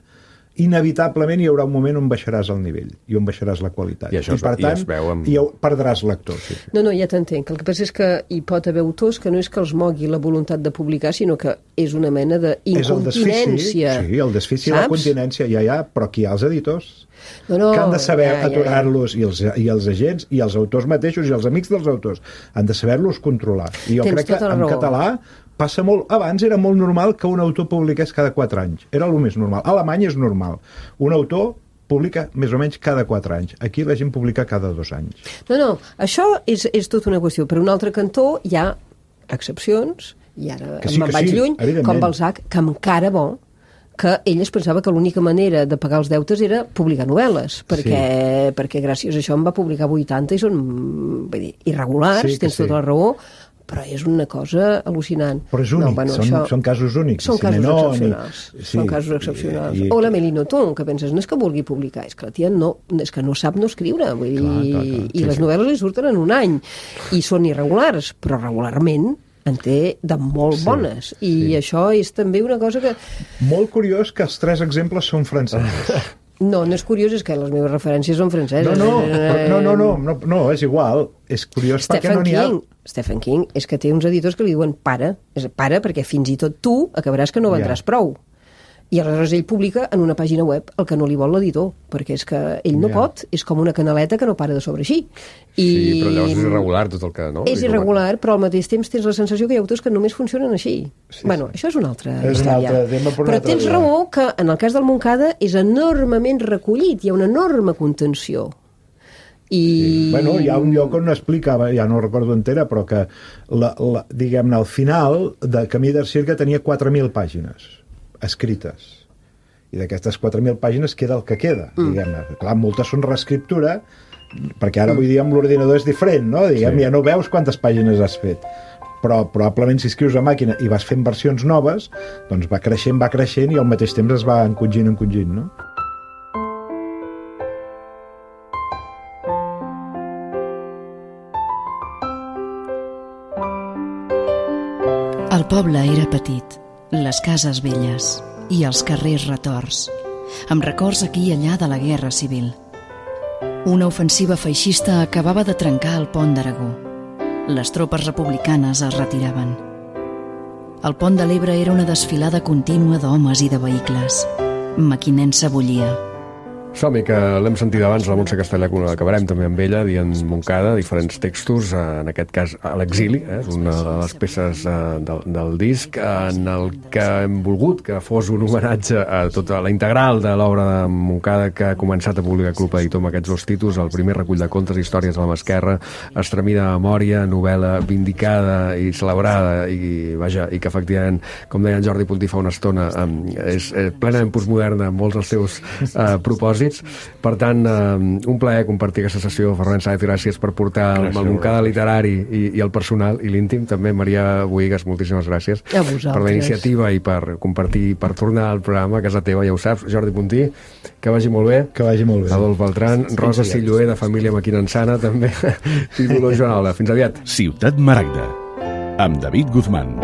inevitablement hi haurà un moment on baixaràs el nivell i on baixaràs la qualitat. I això I per es- i tant, es veu amb- i perdràs lector. Sí, sí. No, no, ja t'entenc. El que passa és que hi pot haver autors que no és que els mogui la voluntat de publicar, sinó que és una mena És el desfici, d'incontinència. sí, el desfici i la continència, ja, ja, però aquí hi ha els editors. No, no, que han de saber ja, ja, ja. aturar-los, i, els, i els agents, i els autors mateixos, i els amics dels autors, han de saber-los controlar. I jo Tens crec que tota la en raó. català passa molt... Abans era molt normal que un autor publiqués cada quatre anys. Era el més normal. A Alemanya és normal. Un autor publica més o menys cada quatre anys. Aquí la gent publica cada dos anys. No, no, això és, és tota una qüestió. Per un altre cantó hi ha excepcions, i ara Que sí, me'n que vaig sí, lluny, evidentment. com Balzac, que encara bo, que ell es pensava que l'única manera de pagar els deutes era publicar novel·les, perquè, sí. perquè gràcies a això em va publicar vuitanta i són vull dir, irregulars, Sí, sí, que tens sí. tota la raó, però és una cosa al·lucinant. Però és únic, no, bueno, són, això... són casos únics. Són casos Simenon, excepcionals. i- Són sí, casos excepcionals. i- i- O la Mélie Nothomb, que penses, no és que vulgui publicar, és que la tia no, és que no sap no escriure. Vull dir, Clar, clar, clar. I Sí, les sí. novel·les li surten en un any. I són irregulars, però regularment en té de molt Sí, bones. I sí. això és també una cosa que... Molt curiós que els tres exemples són francesos. No, no és curiós, és que les meves referències són franceses. No, no, però- no, no, no, no, no, és igual. És curiós perquè Stephen no n'hi ha... King, Stephen King és que té uns editors que li diuen para, és para perquè fins i tot tu acabaràs que no vendràs Ja. prou. I aleshores ell publica en una pàgina web el que no li vol l'editor, perquè és que ell no Ja. pot, és com una canaleta que no para de sobre així. I... Sí, però llavors és irregular tot el que... No? És irregular, però al mateix temps tens la sensació que hi ha autors que només funcionen així. Sí, bueno, sí. això és una altra És un història. altre tema, però un però altre tens dia. raó que en el cas del Montcada és enormement recollit, hi ha una enorme contenció. I... Sí. Bueno, hi ha un lloc on explicava, ja no recordo entera, però que, la, la, diguem-ne, al final de Camí d'Arcirca tenia quatre mil pàgines escrites. I d'aquestes quatre mil pàgines queda el que queda, mm. diguem-ne. Clar, moltes són reescriptura, perquè ara, mm. vull dir, amb l'ordinador és diferent, no? Diguem, Sí. ja no veus quantes pàgines has fet. però probablement si escrius a màquina i vas fent versions noves, doncs va creixent, va creixent i al mateix temps es va encongint, encongint, no? El poble era petit, les cases velles i els carrers retorts, amb records aquí i allà de la Guerra Civil. Una ofensiva feixista acabava de trencar el pont d'Aragó. Les tropes republicanes es retiraven. El pont de l'Ebre era una desfilada contínua d'homes i de vehicles. Mequinensa bullia. Som-hi, que l'hem sentit abans, la Montse Castellà, que acabarem també amb ella, dient Montcada, diferents textos, en aquest cas a l'exili, eh? És una de les peces eh, del, del disc, en el que hem volgut que fos un homenatge a tota la integral de l'obra de Montcada, que ha començat a publicar Club Editor amb aquests dos títols, el primer recull de contes, històries de la mà esquerra, estremida memòria, novel·la vindicada i celebrada, i vaja, i que efectivament, com deia en Jordi Puntí fa una estona, eh, és eh, plenament postmoderna en molts dels seus eh, propòsits. Per tant, eh, un plaer compartir aquesta sessió. Ferran Sáez, gràcies per portar gràcies, el Montcada literari i, i el personal i l'íntim. També Maria Boïgues, moltíssimes gràcies per la iniciativa i per compartir, per tornar al programa a casa teva, ja ho saps. Jordi Puntí, que vagi molt bé. Que vagi molt bé. Adolf Beltran, Rosa Silloé, de família Maquinensana, també, i Dolors Joanola. Fins aviat. Ciutat Maragda, amb David Guzmán.